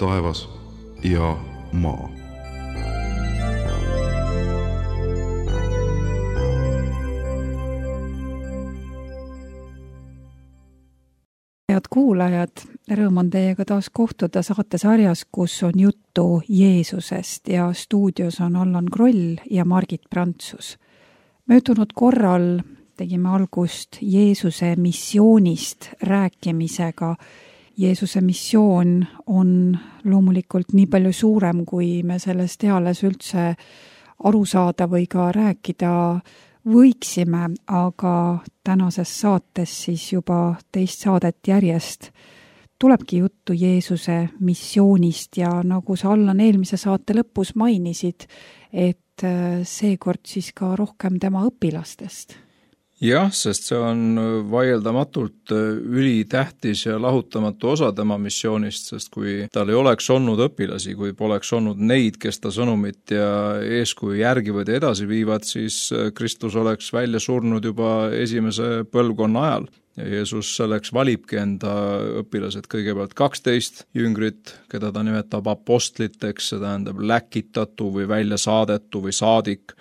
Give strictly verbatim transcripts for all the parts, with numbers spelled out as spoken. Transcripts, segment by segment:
taevas ja maa. Head kuulajad, rõõm on teiega taas kohtuda saatesarjas, kus on juttu Jeesusest ja stuudios on Allan Kroll ja Margit Prantsus. Möödunud korral tegime algust Jeesuse missioonist rääkimisega. Jeesuse missioon on loomulikult nii palju suurem, kui me sellest eales üldse aru saada või ka rääkida võiksime, aga tänases saates siis juba teist saadet järjest tulebki juttu Jeesuse missioonist ja nagu sa Allan eelmise saate lõpus mainisid, et seekord siis ka rohkem tema õpilastest. Jah, sest see on vaieldamatult ülitähtis ja lahutamatu osa tema missioonist, sest kui tal ei oleks olnud õpilasi, kui poleks olnud neid, kes ta sõnumit ja eeskuju järgivad ja edasi viivad, siis Kristus oleks välja surnud juba esimese põlvkonna ajal. Ja Jeesus selleks valibki enda õpilased kõigepealt kaksteist jüngrit, keda ta nimetab apostliteks, see tähendab läkitatu või välja saadetu või saadik.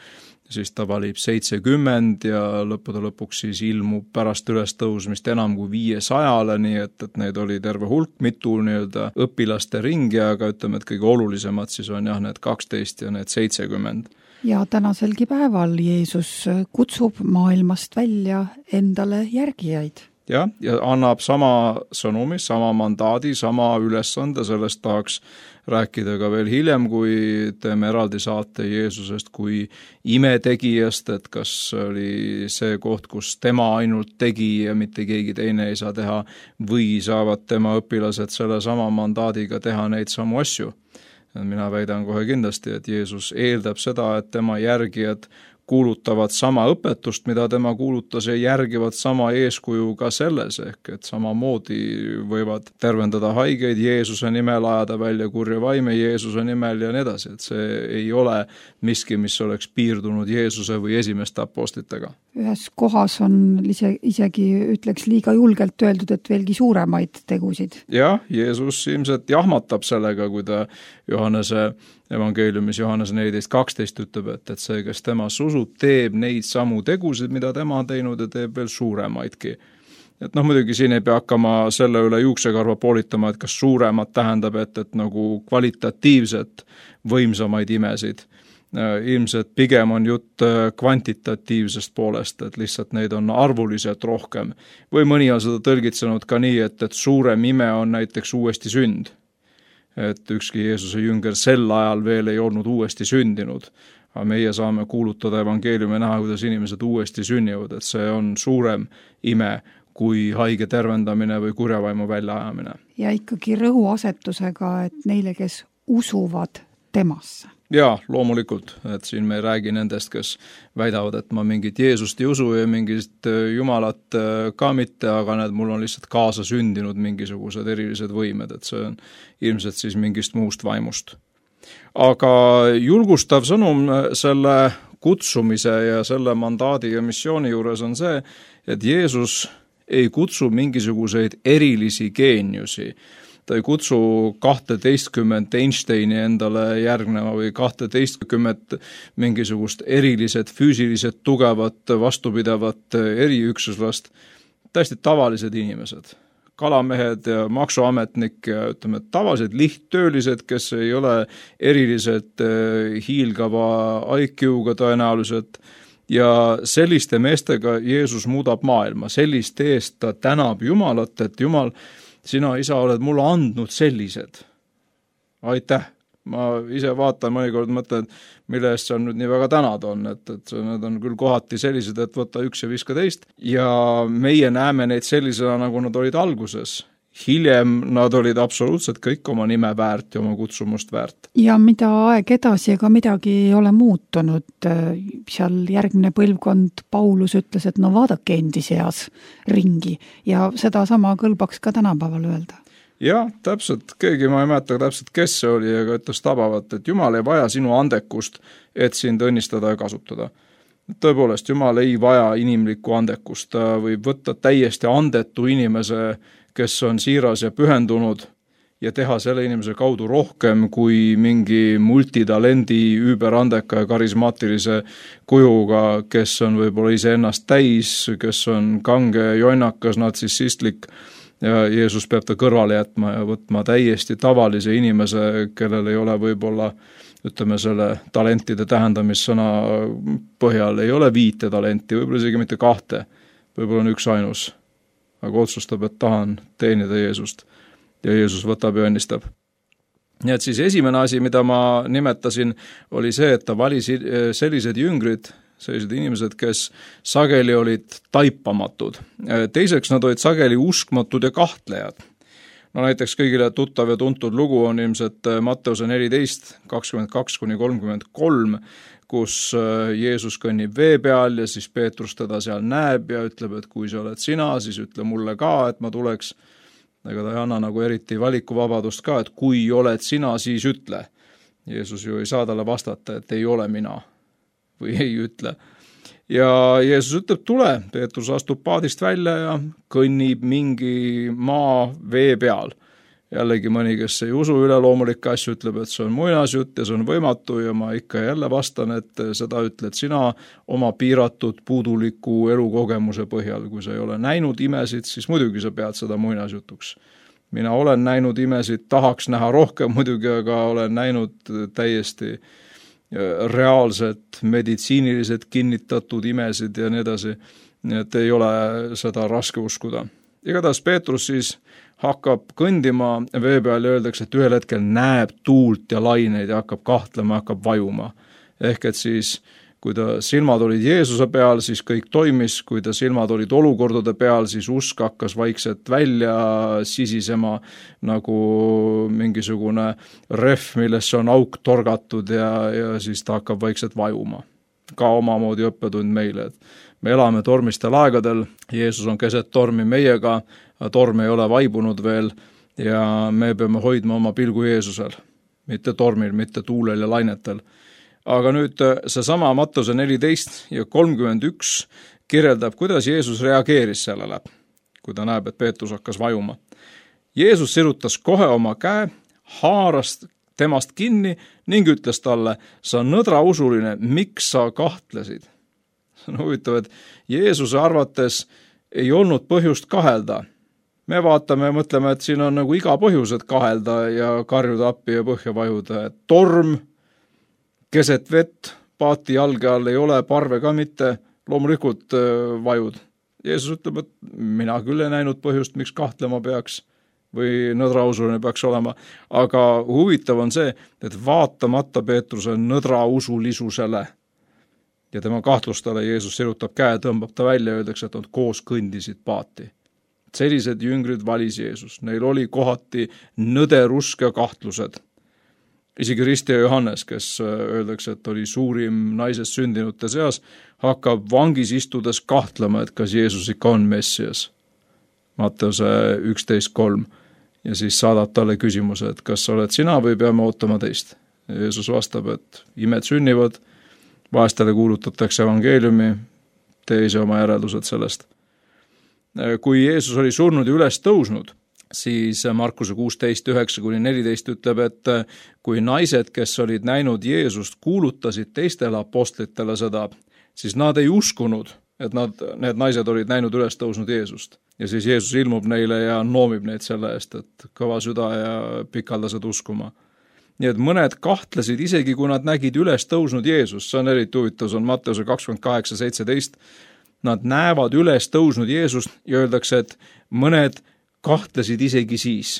Siis ta valib seitsekümmend ja lõppude lõpuks siis ilmub pärast ülestõusmist enam kui viiesajale, nii et, et neid oli terve hulk, mitu nii-öelda õpilaste ringi, aga ütleme, et kõige olulisemad siis on jah need kaksteist ja need seitsekümmend. Ja tänaselgi päeval Jeesus kutsub maailmast välja endale järgijaid. Ja, ja annab sama sõnumi, sama mandaadi, sama ülesande, sellest tahaks rääkida ka veel hiljem, kui teeme eraldi saate Jeesusest kui imetegijast, et kas oli see koht, kus tema ainult tegi ja mitte keegi teine ei saa teha, või saavad tema õpilased selle sama mandaadiga teha neid samu asju. Mina väidan kohe kindlasti, et Jeesus eeldab seda, et tema järgijad kuulutavad sama õpetust, mida tema kuulutas ja järgivad sama eeskuju ka selles, ehk et samamoodi võivad tervendada haigeid Jeesuse nimel, ajada välja kurja vaime Jeesuse nimel ja nii edasi, et see ei ole miski, mis oleks piirdunud Jeesuse või esimeste apostlitega. Ühes kohas on ise, isegi ütleks liiga julgelt öeldud, et veelgi suuremaid tegusid. Jah, Jeesus ilmselt jahmatab sellega, kui ta Johannese evangeeliumis Johannese neliteist kaksteist ütleb, et, et see, kes temas usub, teeb neid samu tegusid, mida tema on teinud ja teeb veel suuremaidki. Et noh, muidugi siin ei pea hakkama selle üle juuksekarva poolitama, et kas suuremad tähendab, et, et nagu kvalitatiivset võimsamaid imesid. Ilmselt pigem on jutt kvantitatiivsest poolest, et lihtsalt neid on arvuliselt rohkem. Või mõni on seda tõlgitsenud ka nii, et, et suurem ime on näiteks uuesti sünd. Et ükski Jeesuse jünger sel ajal veel ei olnud uuesti sündinud. Aga meie saame kuulutada evangeeliumi näha, kuidas inimesed uuesti sünnivad, et see on suurem ime kui haige tervendamine või kurjavaimu väljaajamine. Ja ikkagi rõhuasetusega, et neile, kes usuvad temasse. Jaa, loomulikult, et siin me ei räägi nendest, kes väidavad, et ma mingit Jeesust ei usu ja mingit Jumalat ka mitte, aga need mul on lihtsalt kaasa sündinud mingisugused erilised võimed, et see on ilmselt siis mingist muust vaimust. Aga julgustav sõnum selle kutsumise ja selle mandaadi ja missiooni juures on see, et Jeesus ei kutsu mingisuguseid erilisi geeniusi. Ta ei kutsu kahteteistkümmet Einsteini endale järgnema või kahteteistkümmet mingisugust erilised, füüsilised, tugevat, vastupidavat eriüksuslast. Täiesti tavalised inimesed, kalamehed ja maksuametnik ja ütleme, tavalised lihttöölised, kes ei ole erilised hiilgava I Q-ga tõenäoliselt. Ja selliste meestega Jeesus muudab maailma, selliste eest ta tänab Jumalat, et Jumal, sina, isa, oled mulle andnud sellised. Aitäh. Ma ise vaatan mõnikord mõtlen, mille eest seal nüüd nii väga tänad on, et, et need on küll kohati sellised, et võtta üks ja viska teist. Ja meie näeme neid sellisena, nagu nad olid alguses. Hiljem nad olid absoluutselt kõik oma nime väärt ja oma kutsumust väärt. Ja mida aeg edasi, ega midagi ei ole muutunud. Seal järgmine põlvkond Paulus ütles, et no vaadake endi seas ringi ja seda sama kõlbaks ka tänapäeval öelda. Jah, täpselt, keegi ma ei mäleta täpselt, kes see oli, aga ütles tabavat, et Jumal ei vaja sinu andekust, et sind õnnistada ja kasutada. Tõepoolest, Jumal ei vaja inimlikku andekust, ta võib võtta täiesti andetu inimese, kes on siiras ja pühendunud ja teha selle inimese kaudu rohkem kui mingi multitalendi, üüberandeka ja karismaatilise kujuga, kes on võib-olla iseennast täis, kes on kange, jonnakas, natsissistlik ja Jeesus peab ta kõrvale jätma ja võtma täiesti tavalise inimese, kellel ei ole võib-olla ütleme selle talentide tähendamissõna põhjal, ei ole viite talenti, võib-olla isegi mitte kahte, võib-olla on üks ainus, aga otsustab, et tahan teenida Jeesust ja Jeesus võtab ja õnnistab. Nii et siis esimene asi, mida ma nimetasin, oli see, et ta valis sellised jüngrid, sellised inimesed, kes sageli olid taipamatud. Teiseks nad olid sageli uskmatud ja kahtlejad. No näiteks kõigile tuttav ja tuntud lugu on ilmselt Matteuse neliteist, kakskümmend kaks kuni kolmkümmend kolm, kus Jeesus kõnnib vee peal ja siis Peetrus teda seal näeb ja ütleb, et kui sa oled sina, siis ütle mulle ka, et ma tuleks. Ega ta ei anna nagu eriti valikuvabadust ka, et kui oled sina, siis ütle. Jeesus ju ei saa talle vastata, et ei ole mina või ei ütle. Ja Jeesus ütleb, tule, Peetrus astub paadist välja ja kõnnib mingi maa vee peal. Jällegi mõni, kes ei usu üleloomulikke asju, ütleb, et see on muinasjutt ja see on võimatu ja ma ikka jälle vastan, et seda ütled sina oma piiratud puuduliku elukogemuse põhjal. Kui sa ei ole näinud imesid, siis muidugi sa pead seda muinasjutuks. Mina olen näinud imesid, tahaks näha rohkem muidugi, aga olen näinud täiesti reaalselt meditsiiniliselt kinnitatud imesid ja nii edasi, nii et ei ole seda raske uskuda. Igatahes Peetrus siis hakkab kõndima vee peal ja öeldakse, et ühel hetkel näeb tuult ja laineid ja hakkab kahtlema, hakkab vajuma. Ehk et siis, kui ta silmad olid Jeesuse peal, siis kõik toimis, kui ta silmad olid olukordade peal, siis usk hakkas vaikselt välja sisisema nagu mingisugune rehv, millesse on auk torgatud ja, ja siis ta hakkab vaikselt vajuma. Ka omamoodi õppetund meile, et me elame tormistel aegadel, Jeesus on keset tormi meiega, torm ei ole vaibunud veel ja me peame hoidma oma pilgu Jeesusel, mitte tormil, mitte tuulel ja lainetel. Aga nüüd seesama Matteuse neliteist ja kolmkümmend üks kirjeldab, kuidas Jeesus reageeris sellele, kui ta näeb, et Peetrus hakkas vajuma. Jeesus sirutas kohe oma käe, haaras temast kinni ning ütles talle, sa nõdrausuline, miks sa kahtlesid? See on huvitav, et Jeesuse arvates ei olnud põhjust kahelda. Me vaatame ja mõtleme, et siin on nagu iga põhjus, et kahelda ja karjuda appi ja põhja vajuda, et torm, keset vett, paati jalge all ei ole, parve ka mitte, loomulikult vajud. Jeesus ütleb, et mina küll ei näinud põhjust, miks kahtlema peaks või nõdrausuline peaks olema, aga huvitav on see, et vaatamata Peetruse nõdrausulisusele ja tema kahtlustele Jeesus sirutab käe, tõmbab ta välja ja öeldakse, et nad koos kõndisid paati. Sellised jüngrid valis Jeesus, neil oli kohati nõderusk ja kahtlused. Isegi Risti ja Johannes, kes öeldakse, et oli suurim naisest sündinute seas, hakkab vangis istudes kahtlema, et kas Jeesus ikka on Messias. Matteuse üksteist kolm. Ja siis saadab talle küsimuse, et kas oled sina või peame ootama teist. Jeesus vastab, et imed sünnivad, vahestele kuulutatakse evangeeliumi, tee ise oma järeldused sellest. Kui Jeesus oli surnud ja üles tõusnud, siis Markuse kuusteist üheksa kuni neliteist ütleb, et kui naised, kes olid näinud Jeesust, kuulutasid teistele apostlitele seda, siis nad ei uskunud, et nad, need naised olid näinud üles tõusnud Jeesust. Ja siis Jeesus ilmub neile ja noomib neid selle eest, et kõva süda ja pikaldased uskuma. Nii et mõned kahtlesid isegi, kui nad nägid üles tõusnud Jeesust, see on eriti huvitav, see on Matteuse kakskümmend kaheksa seitseteist, nad näevad üles tõusnud Jeesust ja öeldakse, et mõned kahtlesid isegi siis.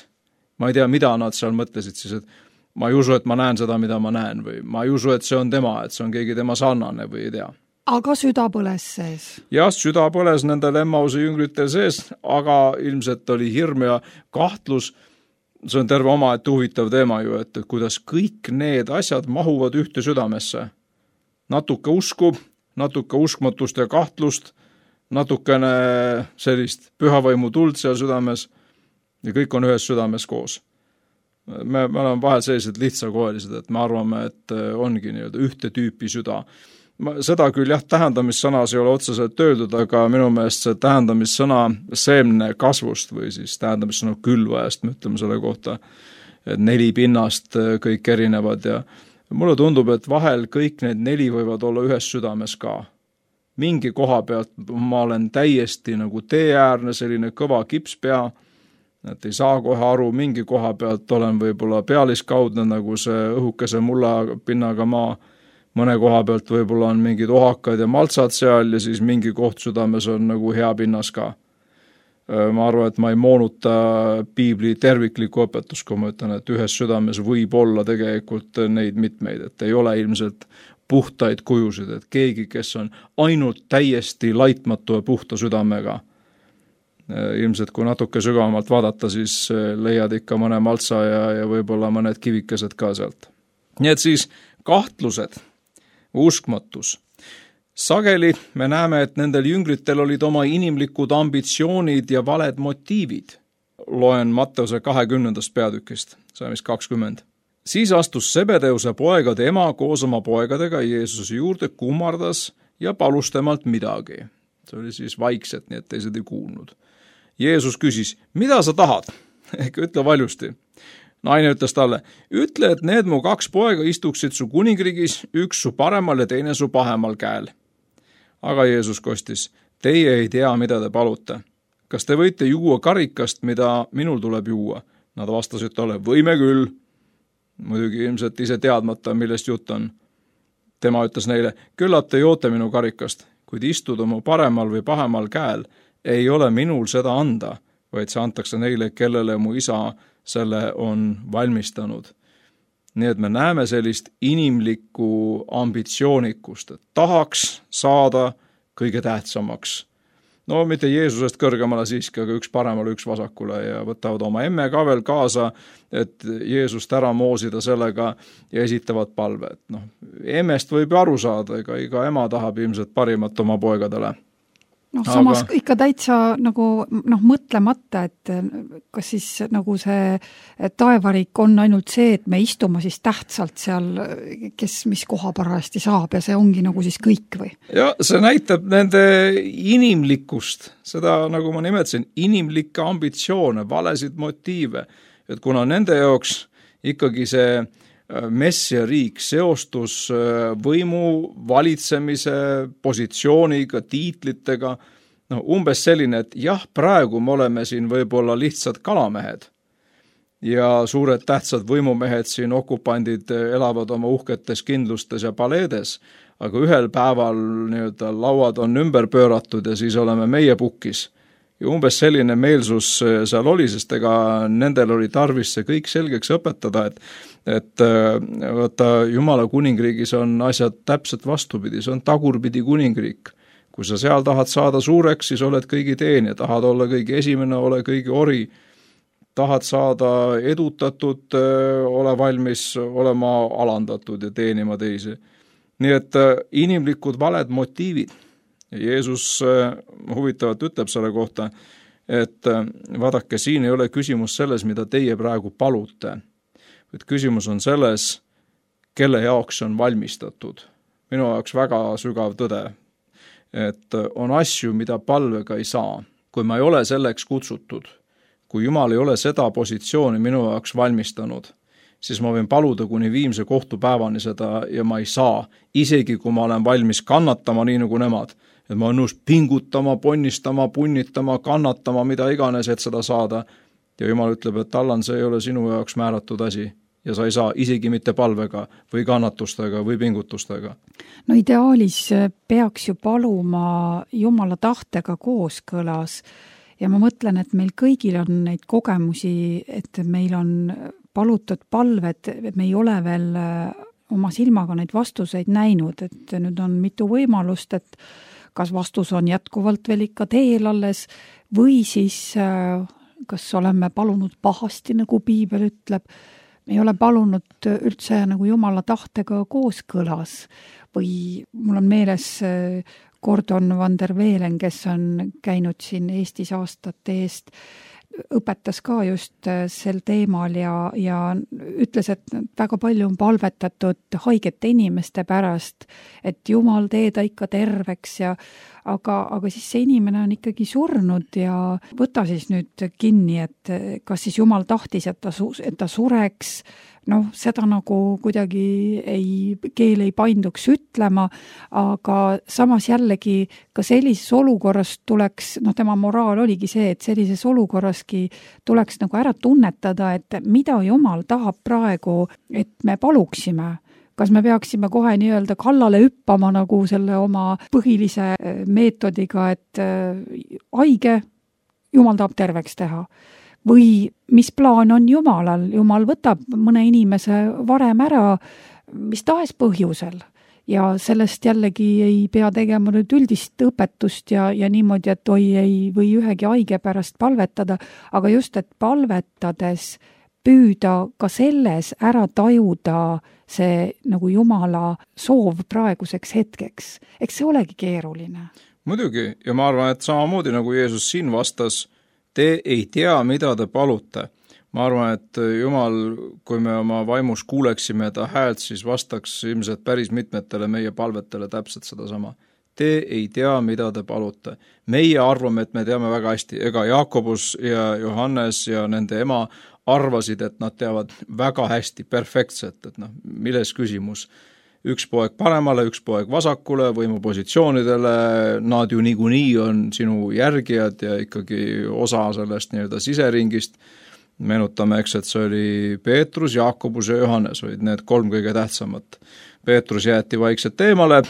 Ma ei tea, mida nad seal mõtlesid siis, et ma ei usu, et ma näen seda, mida ma näen või ma ei usu, et see on tema, et see on keegi tema sarnane või ei tea. Aga süda põles sees. Jah, süda põles nendel Emmause jüngritel sees, aga ilmselt oli hirm ja kahtlus. See on terve oma, et huvitav teema ju, et kuidas kõik need asjad mahuvad ühte südamesse. Natuke usku, natuke uskmatust ja kahtlust, natukene sellist pühavaimu tuld seal südames ja kõik on ühes südames koos. Me, me oleme vahel sellised lihtsakoelised, et me arvame, et ongi nii-öelda ühte tüüpi süda. Seda küll jah, tähendamissõnas ei ole otseselt öeldud, aga minu meelest see tähendamissõna seemne kasvust või siis tähendamissõna külvajast, me ütleme selle kohta, neli pinnast kõik erinevad ja mulle tundub, et vahel kõik need neli võivad olla ühes südames ka. Mingi koha pealt ma olen täiesti nagu teeäärne, selline kõva kipspea, et ei saa kohe aru, mingi koha pealt olen võib-olla pealiskaudne nagu see õhukese mulla pinnaga maa, mõne koha pealt võib-olla on mingid ohakad ja maltsad seal ja siis mingi koht südames on nagu hea pinnas ka. Ma arvan, et ma ei moonuta piibli terviklikku õpetus, kui ma ütlen, et ühes südames võib olla tegelikult neid mitmeid, et ei ole ilmselt puhtaid kujusid, et keegi, kes on ainult täiesti laitmatu ja puhta südamega. Ilmselt kui natuke sügavamalt vaadata, siis leiad ikka mõne maltsa ja, ja võib-olla mõned kivikesed ka sealt. Nii et siis kahtlused, uskmatus. Sageli me näeme, et nendel jünglitel olid oma inimlikud ambitsioonid ja valed motiivid. Loen Matteuse kahekümnendast peatükist, see on kakskümmend. Siis astus Sebedeuse poegade ema koos oma poegadega Jeesuse juurde, kummardas ja palus temalt midagi. See oli siis vaikselt, nii et teised ei kuulnud. Jeesus küsis, mida sa tahad? Ehk ütle valjusti. Naine ütles talle, ütle, et need mu kaks poega istuksid su kuningriigis, üks su paremal ja teine su pahemal käel. Aga Jeesus kostis, teie ei tea, mida te palute. Kas te võite juua karikast, mida minul tuleb juua? Nad vastasid talle, võime küll. Muidugi ilmselt ise teadmata, millest jutt on. Tema ütles neile, küllap te joote minu karikast, kuid istuda mu paremal või pahemal käel ei ole minul seda anda, vaid see antakse neile, kellele mu isa selle on valmistanud. Nii et me näeme sellist inimlikku ambitsioonikust, et tahaks saada kõige tähtsamaks. No mitte Jeesusest kõrgemale siiski, aga üks paremale, üks vasakule ja võtavad oma emme ka veel kaasa, et Jeesust ära moosida sellega ja esitavad palve. No, emmest võib aru saada, ega iga ema tahab ilmselt parimat oma poegadele. Noh, samas aga ikka täitsa nagu noh, mõtlemata, et kas siis nagu see taevariik on ainult see, et me istume siis tähtsalt seal, kes mis koha parajasti saab ja see ongi nagu siis kõik või? Ja see näitab nende inimlikkust, seda nagu ma nimetasin, inimlikke ambitsioone, valesid motiive, et kuna nende jaoks ikkagi see messia riik seostus võimu, valitsemise, positsiooniga, tiitlitega, no umbes selline, et jah, praegu me oleme siin võib-olla lihtsad kalamehed ja suured tähtsad võimumehed siin okupandid elavad oma uhketes kindlustes ja paleedes, aga ühel päeval nii-öelda lauad on ümber pööratud ja siis oleme meie pukis. Ja umbes selline meelsus seal oli, sest ega nendel oli tarvis see kõik selgeks õpetada, et, et võtta Jumala kuningriigis on asjad täpselt vastupidi, see on tagurpidi kuningriik. Kui sa seal tahad saada suureks, siis oled kõigi teenija, tahad olla kõigi esimene, ole kõigi ori, tahad saada edutatud, ole valmis olema alandatud ja teenima teisi. Nii et inimlikud valed motiivid. Jeesus huvitavalt ütleb selle kohta, et vaadake, siin ei ole küsimus selles, mida teie praegu palute. Et küsimus on selles, kelle jaoks on valmistatud. Minu jaoks väga sügav tõde, et on asju, mida palvega ei saa. Kui ma ei ole selleks kutsutud, kui Jumal ei ole seda positsiooni minu jaoks valmistanud, siis ma võin paluda kuni viimse kohtupäevani seda ja ma ei saa, isegi kui ma olen valmis kannatama nii nagu nemad, et ma olen nõus pingutama, ponnistama, punnitama, kannatama, mida iganes, et seda saada. Ja Jumal ütleb, et Allan, see ei ole sinu jaoks määratud asi ja sa ei saa isegi mitte palvega või kannatustega või pingutustega. No ideaalis peaks ju paluma Jumala tahtega kooskõlas ja ma mõtlen, et meil kõigil on neid kogemusi, et meil on palutud palved, me ei ole veel oma silmaga neid vastuseid näinud, et nüüd on mitu võimalust, et kas vastus on jätkuvalt veel ikka teel alles või siis kas oleme palunud pahasti, nagu piibel ütleb, me ei ole palunud üldse nagu Jumala tahtega kooskõlas või mul on meeles Gordon van der Velen, kes on käinud siin Eestis aastate eest õpetas ka just sel teemal ja, ja ütles, et väga palju on palvetatud haigete inimeste pärast, et Jumal tee ta ikka terveks ja aga, aga siis see inimene on ikkagi surnud ja võta siis nüüd kinni, et kas siis Jumal tahtis, et ta, et ta sureks, noh, seda nagu kuidagi ei, keel ei painduks ütlema, aga samas jällegi ka sellises olukorras tuleks, noh, tema moraal oligi see, et sellises olukorraski tuleks nagu ära tunnetada, et mida Jumal tahab praegu, et me paluksime. Kas me peaksime kohe nii-öelda kallale hüppama nagu selle oma põhilise meetodiga, et haige, Jumal tahab terveks teha. Või mis plaan on Jumalal? Jumal võtab mõne inimese varem ära, mis tahes põhjusel. Ja sellest jällegi ei pea tegema nüüd üldist õpetust ja, ja niimoodi, et oi ei või ühegi haige pärast palvetada, aga just, et palvetades püüda ka selles ära tajuda see nagu Jumala soov praeguseks hetkeks. Eks see olegi keeruline. Muidugi, ja ma arvan, et samamoodi nagu Jeesus siin vastas, te ei tea, mida te palute. Ma arvan, et Jumal, kui me oma vaimus kuuleksime ta häält, siis vastaks ilmselt päris mitmetele meie palvetele täpselt seda sama. Te ei tea, mida te palute. Meie arvame, et me teame väga hästi. Ega Jaakobus ja Johannes ja nende ema arvasid, et nad teavad väga hästi, perfektselt, et noh, milles küsimus. Üks poeg paremale, üks poeg vasakule, võimupositsioonidele, nad ju niikuinii on sinu järgijad ja ikkagi osa sellest nii-öelda siseringist. Meenutame, eks, et see oli Peetrus, Jaakobus ja Johannes, olid need kolm kõige tähtsamat. Peetrus jäeti vaikselt eemale,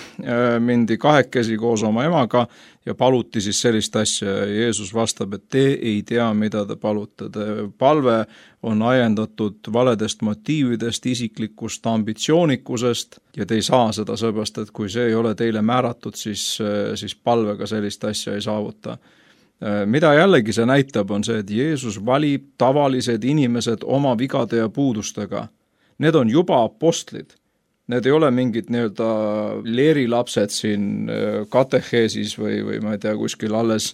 mindi kahekesi koos oma emaga ja paluti siis sellist asja. Jeesus vastab, et te ei tea, mida te palute. Palve on ajendatud valedest motiividest, isiklikust ambitsioonikusest ja te ei saa seda sõbast, et kui see ei ole teile määratud, siis, siis palvega sellist asja ei saavuta. Mida jällegi see näitab, on see, et Jeesus valib tavalised inimesed oma vigade ja puudustega. Need on juba apostlid. Need ei ole mingid nii-öelda leerilapsed siin kateheesis või, või ma ei tea, kuskil alles,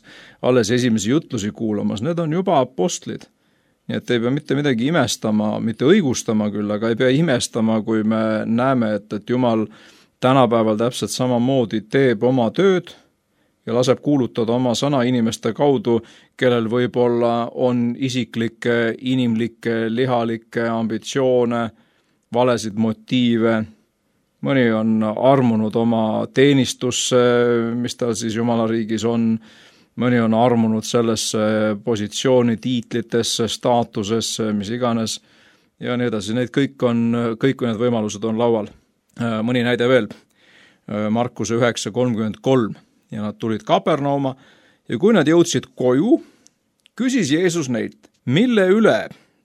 alles esimesi jutlusi kuulamas. Need on juba apostlid. Nii et ei pea mitte midagi imestama, mitte õigustama küll, aga ei pea imestama, kui me näeme, et, et Jumal tänapäeval täpselt samamoodi teeb oma tööd ja laseb kuulutada oma sõna inimeste kaudu, kellel võib-olla on isiklikke, inimlikke, lihalikke ambitsioone, valesid motiive. Mõni on armunud oma teenistusse, mis tal siis Jumala riigis on, mõni on armunud sellesse positsiooni, tiitlitesse, staatusesse, mis iganes ja nii edasi. Need kõik on, kõik need võimalused on laual. Mõni näide veel, Markuse üheksa kolmkümmend kolm ja nad tulid Kapernauma ja kui nad jõudsid koju, küsis Jeesus neilt, mille üle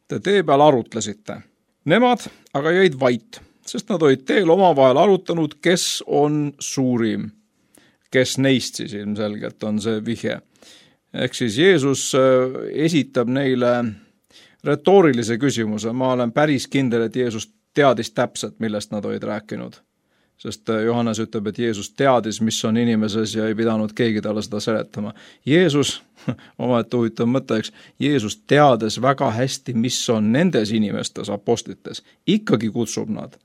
te tee peal arutlesite? Nemad aga jäid vait, sest nad olid teel omavahel arutanud, kes on suurim. Kes neist siis ilmselgelt on see vihje. Ehk siis Jeesus esitab neile retoorilise küsimuse. Ma olen päris kindel, et Jeesus teadis täpselt, millest nad olid rääkinud. Sest Johannes ütleb, et Jeesus teadis, mis on inimeses ja ei pidanud keegi talle seda seletama. Jeesus, oma et huvitav mõte, eks, Jeesus teades väga hästi, mis on nendes inimestes, apostlites, ikkagi kutsub nad.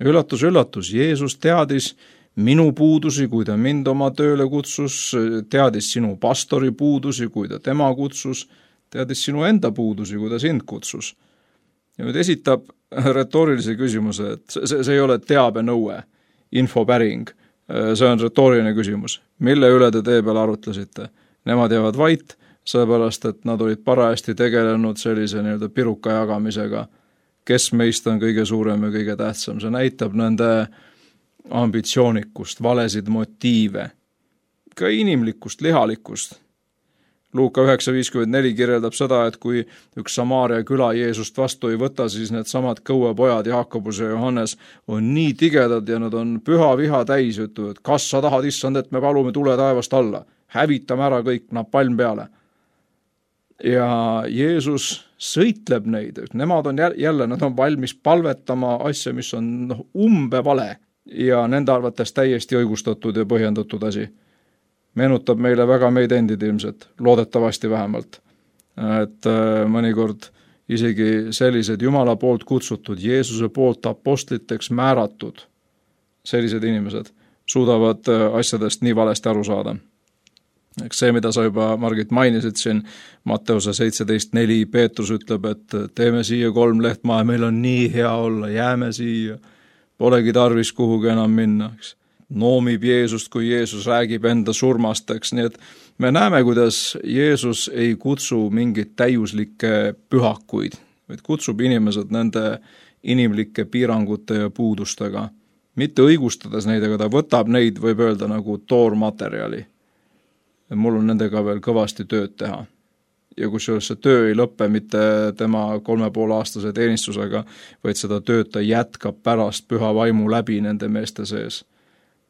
Üllatus, üllatus, Jeesus teadis minu puudusi, kui ta mind oma tööle kutsus, teadis sinu pastori puudusi, kui ta tema kutsus, teadis sinu enda puudusi, kui ta sind kutsus. Ja nüüd esitab retoorilise küsimuse, et see, see ei ole teabenõue, infopäring, see on retooriline küsimus. Mille üle te tee peal arutlesite? Nemad jäävad vait, sellepärast, et nad olid parajasti tegelenud sellise nii-öelda piruka jagamisega, kes meist on kõige suurem ja kõige tähtsam. See näitab nende ambitsioonikust, valesid motiive, ka inimlikust, lihalikust. Luuka üheksa viiskümmend neli kirjeldab seda, et kui üks Samaaria küla Jeesust vastu ei võta, siis need samad kõuepojad Jaakobus ja Johannes on nii tigedad ja nad on püha viha täis, ütlevad, et kas sa tahad, issand, et me palume tule taevast alla, hävitame ära kõik, napalm peale. Ja Jeesus sõitleb neid, nemad on jälle, nad on valmis palvetama asja, mis on noh, umbe vale ja nende arvates täiesti õigustatud ja põhjendatud asi. Meenutab meile väga meid endid ilmselt, loodetavasti vähemalt. et mõnikord isegi sellised Jumala poolt kutsutud, Jeesuse poolt apostliteks määratud sellised inimesed suudavad asjadest nii valesti aru saada. Eks see, mida sa juba, Margit, mainisid siin, Matteuse seitseteist neli, Peetrus ütleb, et teeme siia kolm lehtmaa ja meil on nii hea olla, jääme siia, polegi tarvis kuhugi enam minna, eks. Noomib Jeesust, kui Jeesus räägib enda surmast, eks, nii et me näeme, kuidas Jeesus ei kutsu mingeid täiuslikke pühakuid, vaid kutsub inimesed nende inimlike piirangute ja puudustega, mitte õigustades neid, aga ta võtab neid, võib öelda, nagu toormaterjali. Mul on nendega veel kõvasti tööd teha. Ja kusjuures see töö ei lõppe mitte tema kolme poole aastase teenistusega, vaid seda tööd ta jätkab pärast püha vaimu läbi nende meeste sees.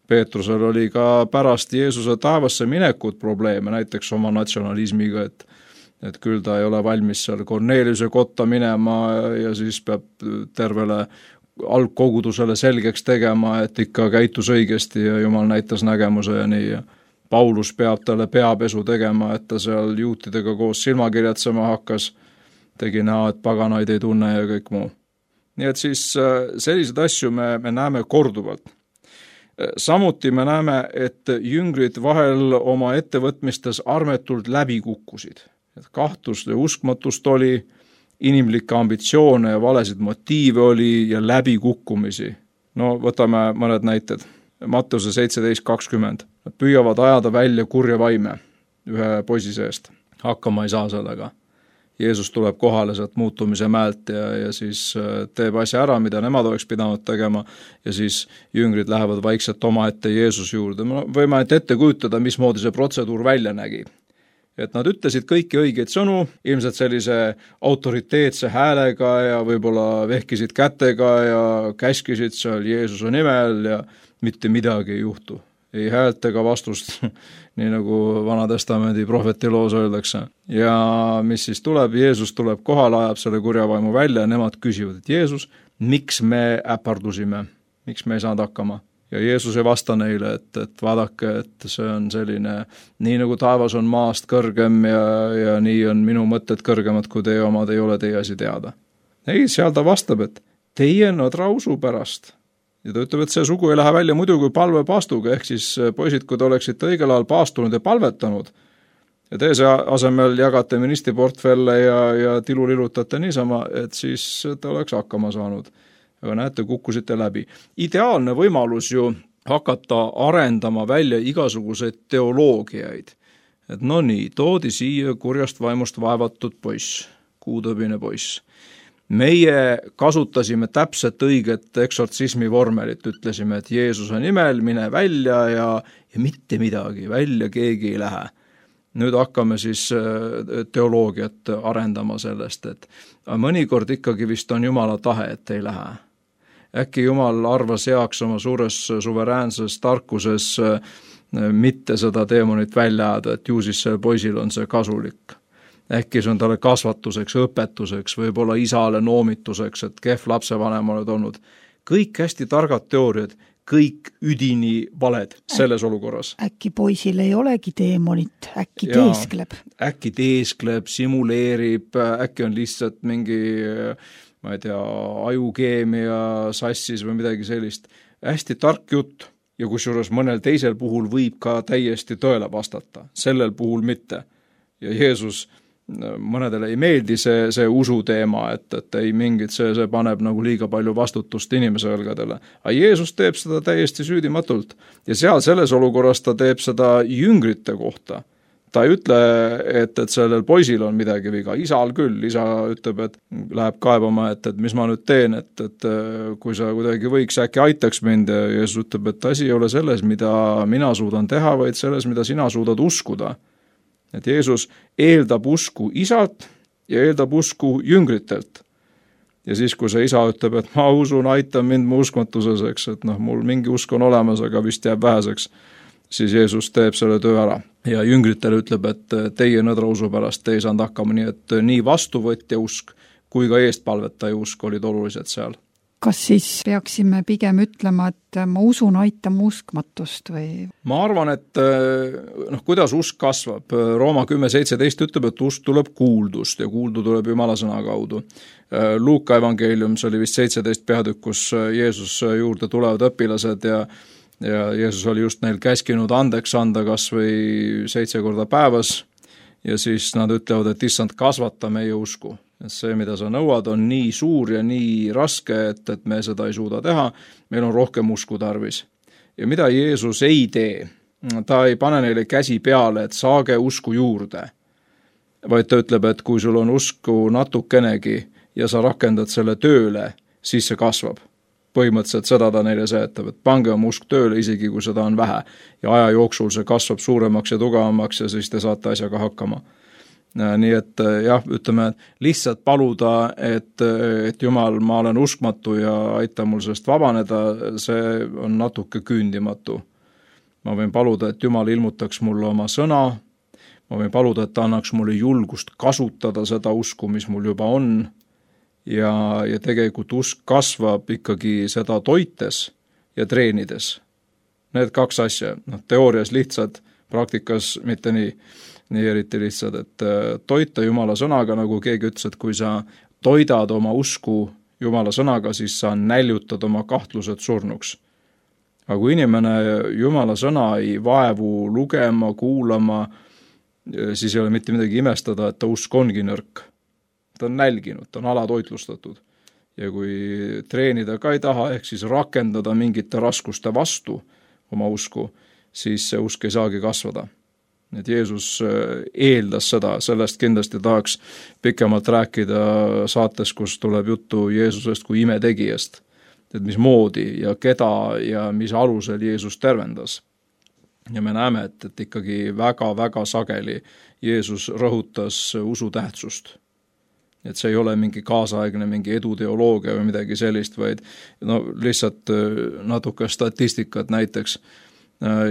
Peetrusel oli ka pärast Jeesuse taevasse minekut probleeme, näiteks oma natsionalismiga, et, et küll ta ei ole valmis seal Korneliuse kotta minema ja siis peab tervele algkogudusele selgeks tegema, et ikka käitus õigesti ja Jumal näitas nägemuse ja nii. Paulus peab talle peapesu tegema, et ta seal juutidega koos silmakirjatsema hakkas, tegi näo, et paganaid ei tunne ja kõik muu. Nii et siis sellised asju me, me näeme korduvalt. Samuti me näeme, et jüngrid vahel oma ettevõtmistes armetult läbi kukkusid. Et kahtust ja uskmatust oli, inimlikke ambitsioone ja valesid motiive oli ja läbi kukkumisi. No võtame mõned näited. Matteuse seitseteist kakskümmend. Nad püüavad ajada välja kurja vaime ühe poisi seest. Hakkama ei saa sellega. Jeesus tuleb kohale sealt muutumise mäelt ja, ja siis teeb asja ära, mida nemad oleks pidanud tegema ja siis jüngrid lähevad vaikselt oma ette Jeesus juurde. Me võime ette kujutada, mismoodi see protseduur välja nägi. Et nad ütlesid kõiki õigeid sõnu, ilmselt sellise autoriteetse häälega ja võib-olla vehkisid kätega ja käskisid seal Jeesuse nimel ja mitte midagi ei juhtu. Ei häält ega vastust, nii nagu Vana-testamendi prohveti loos öeldakse. Ja mis siis tuleb? Jeesus tuleb kohale, ajab selle kurjavaimu välja ja nemad küsivad, et Jeesus, miks me äpardusime? Miks me ei saanud hakkama? Ja Jeesus ei vasta neile, et, et vaadake, et see on selline, nii nagu taevas on maast kõrgem ja, ja nii on minu mõtted kõrgemad, kui teie omad ei ole teie asi teada. Ei, seal ta vastab, et teie nõdra usu pärast. Ja ta ütleb, et see sugu ei lähe välja muidu kui palve paastuga, ehk siis poisid, kui te oleksite õigel ajal paastunud ja palvetanud, ja te see asemel jagate ministriportfelle ja, ja tilulilutate niisama, et siis te oleks hakkama saanud. Aga näete, kukkusite läbi. Ideaalne võimalus ju hakata arendama välja igasuguseid teoloogiaid. Et no nii, toodi siia kurjast vaimust vaevatud poiss, kuutõbine poiss. Meie kasutasime täpselt õiget eksortsismi vormelit, ütlesime, et Jeesuse nimel mine välja ja, ja mitte midagi, välja keegi ei lähe. Nüüd hakkame siis teoloogiat arendama sellest, et mõnikord ikkagi vist on Jumala tahe, et ei lähe. Äkki Jumal arvas heaks oma suures suveräänses tarkuses mitte seda teemonit välja ajada, et ju siis see poisil on see kasulik. Äkki see on talle kasvatuseks, õpetuseks, võib-olla isale noomituseks, et kehv lapsevanem oled olnud. Kõik hästi targad teooriad, kõik üdini valed selles olukorras. Äkki poisil ei olegi teemonit, äkki ja, teeskleb. Äkki teeskleb, simuleerib, äkki on lihtsalt mingi, ma ei tea, ajukeemia sassis või midagi sellist. Hästi tark jutt ja kusjuures mõnel teisel puhul võib ka täiesti tõele vastata, sellel puhul mitte. Ja Jeesus mõnedele ei meeldi see, see usu teema, et, et ei mingit, see, see paneb nagu liiga palju vastutust inimese õlgadele. Aga Jeesus teeb seda täiesti süüdimatult ja seal selles olukorras ta teeb seda jüngrite kohta. Ta ei ütle, et, et sellel poisil on midagi viga, isal küll, isa ütleb, et läheb kaebama, et, et mis ma nüüd teen, et, et kui sa kuidagi võiks, äkki aitaks mind ja Jeesus ütleb, et asi ei ole selles, mida mina suudan teha, vaid selles, mida sina suudad uskuda. Et Jeesus eeldab usku isalt ja eeldab usku jüngritelt. Ja siis, kui see isa ütleb, et ma usun, aita mind mu uskmatuseks, et noh, mul mingi usk on olemas, aga vist jääb väheseks, siis Jeesus teeb selle töö ära. Ja jüngritele ütleb, et teie nõdra usu pärast te ei saanud hakkama, nii et nii vastuvõtja usk kui ka eestpalvetaja usk olid olulised seal. kas siis peaksime pigem ütlema, et ma usun aitama uskmatust või? Ma arvan, et noh, kuidas usk kasvab? Rooma kümme seitseteist ütleb, et usk tuleb kuuldust ja kuuldu tuleb Jumala sõna kaudu. Luuka evangeelium, see oli vist seitseteist peatükk, kus Jeesus juurde tulevad õpilased ja, ja Jeesus oli just neil käskinud andeks anda kas või seitse korda päevas ja siis nad ütlevad, et issand, kasvata meie usku. Et see, mida sa nõuad, on nii suur ja nii raske, et, et me seda ei suuda teha, meil on rohkem usku tarvis. Ja mida Jeesus ei tee? Ta ei pane neile käsi peale, et saage usku juurde, vaid ta ütleb, et kui sul on usku natukenegi ja sa rakendad selle tööle, siis see kasvab. Põhimõtteliselt seda ta neile seletab, et pange oma usk tööle, isegi kui seda on vähe, ja aja jooksul see kasvab suuremaks ja tugevamaks ja siis te saate asjaga hakkama. Nii et jah, ütleme, lihtsalt paluda, et, et Jumal, ma olen uskmatu ja aita mul sellest vabaneda, see on natuke küündimatu. Ma võin paluda, et Jumal ilmutaks mulle oma sõna, ma võin paluda, et ta annaks mulle julgust kasutada seda usku, mis mul juba on, ja, ja tegelikult usk kasvab ikkagi seda toites ja treenides. Need kaks asja, noh, teoorias lihtsad, praktikas mitte nii, nii eriti lihtsad, et toita Jumala sõnaga, nagu keegi ütles, et kui sa toidad oma usku Jumala sõnaga, siis sa näljutad oma kahtlused surnuks. Aga kui inimene Jumala sõna ei vaevu lugema, kuulama, siis ei ole mitte midagi imestada, et ta usk ongi nõrk. Ta on nälginud, ta on alatoitlustatud. Ja kui treenida ka ei taha, ehk siis rakendada mingite raskuste vastu oma usku, siis see usk ei saagi kasvada. Et Jeesus eeldas seda, sellest kindlasti tahaks pikemalt rääkida saates, kus tuleb juttu Jeesusest kui imetegijast, et mis moodi ja keda ja mis alusel Jeesus tervendas. Ja me näeme, et, et ikkagi väga-väga sageli Jeesus rõhutas usu tähtsust. Et see ei ole mingi kaasaegne, mingi eduteoloogia või midagi sellist, vaid no, lihtsalt natuke statistikat näiteks.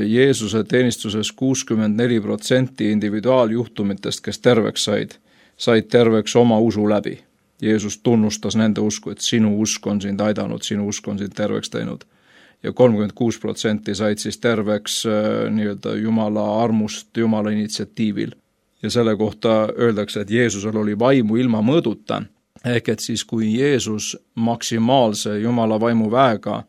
Jeesuse teenistuses kuuskümmend neli protsenti individuaaljuhtumitest, kes terveks said, said terveks oma usu läbi. Jeesus tunnustas nende usku, et sinu usk on sind aidanud, sinu usk on sind terveks teinud. Ja kolmkümmend kuus protsenti said siis terveks nii-öelda Jumala armust, Jumala initsiatiivil. Ja selle kohta öeldakse, et Jeesusel oli vaimu ilma mõõduta, ehk et siis kui Jeesus maksimaalse Jumala vaimu väega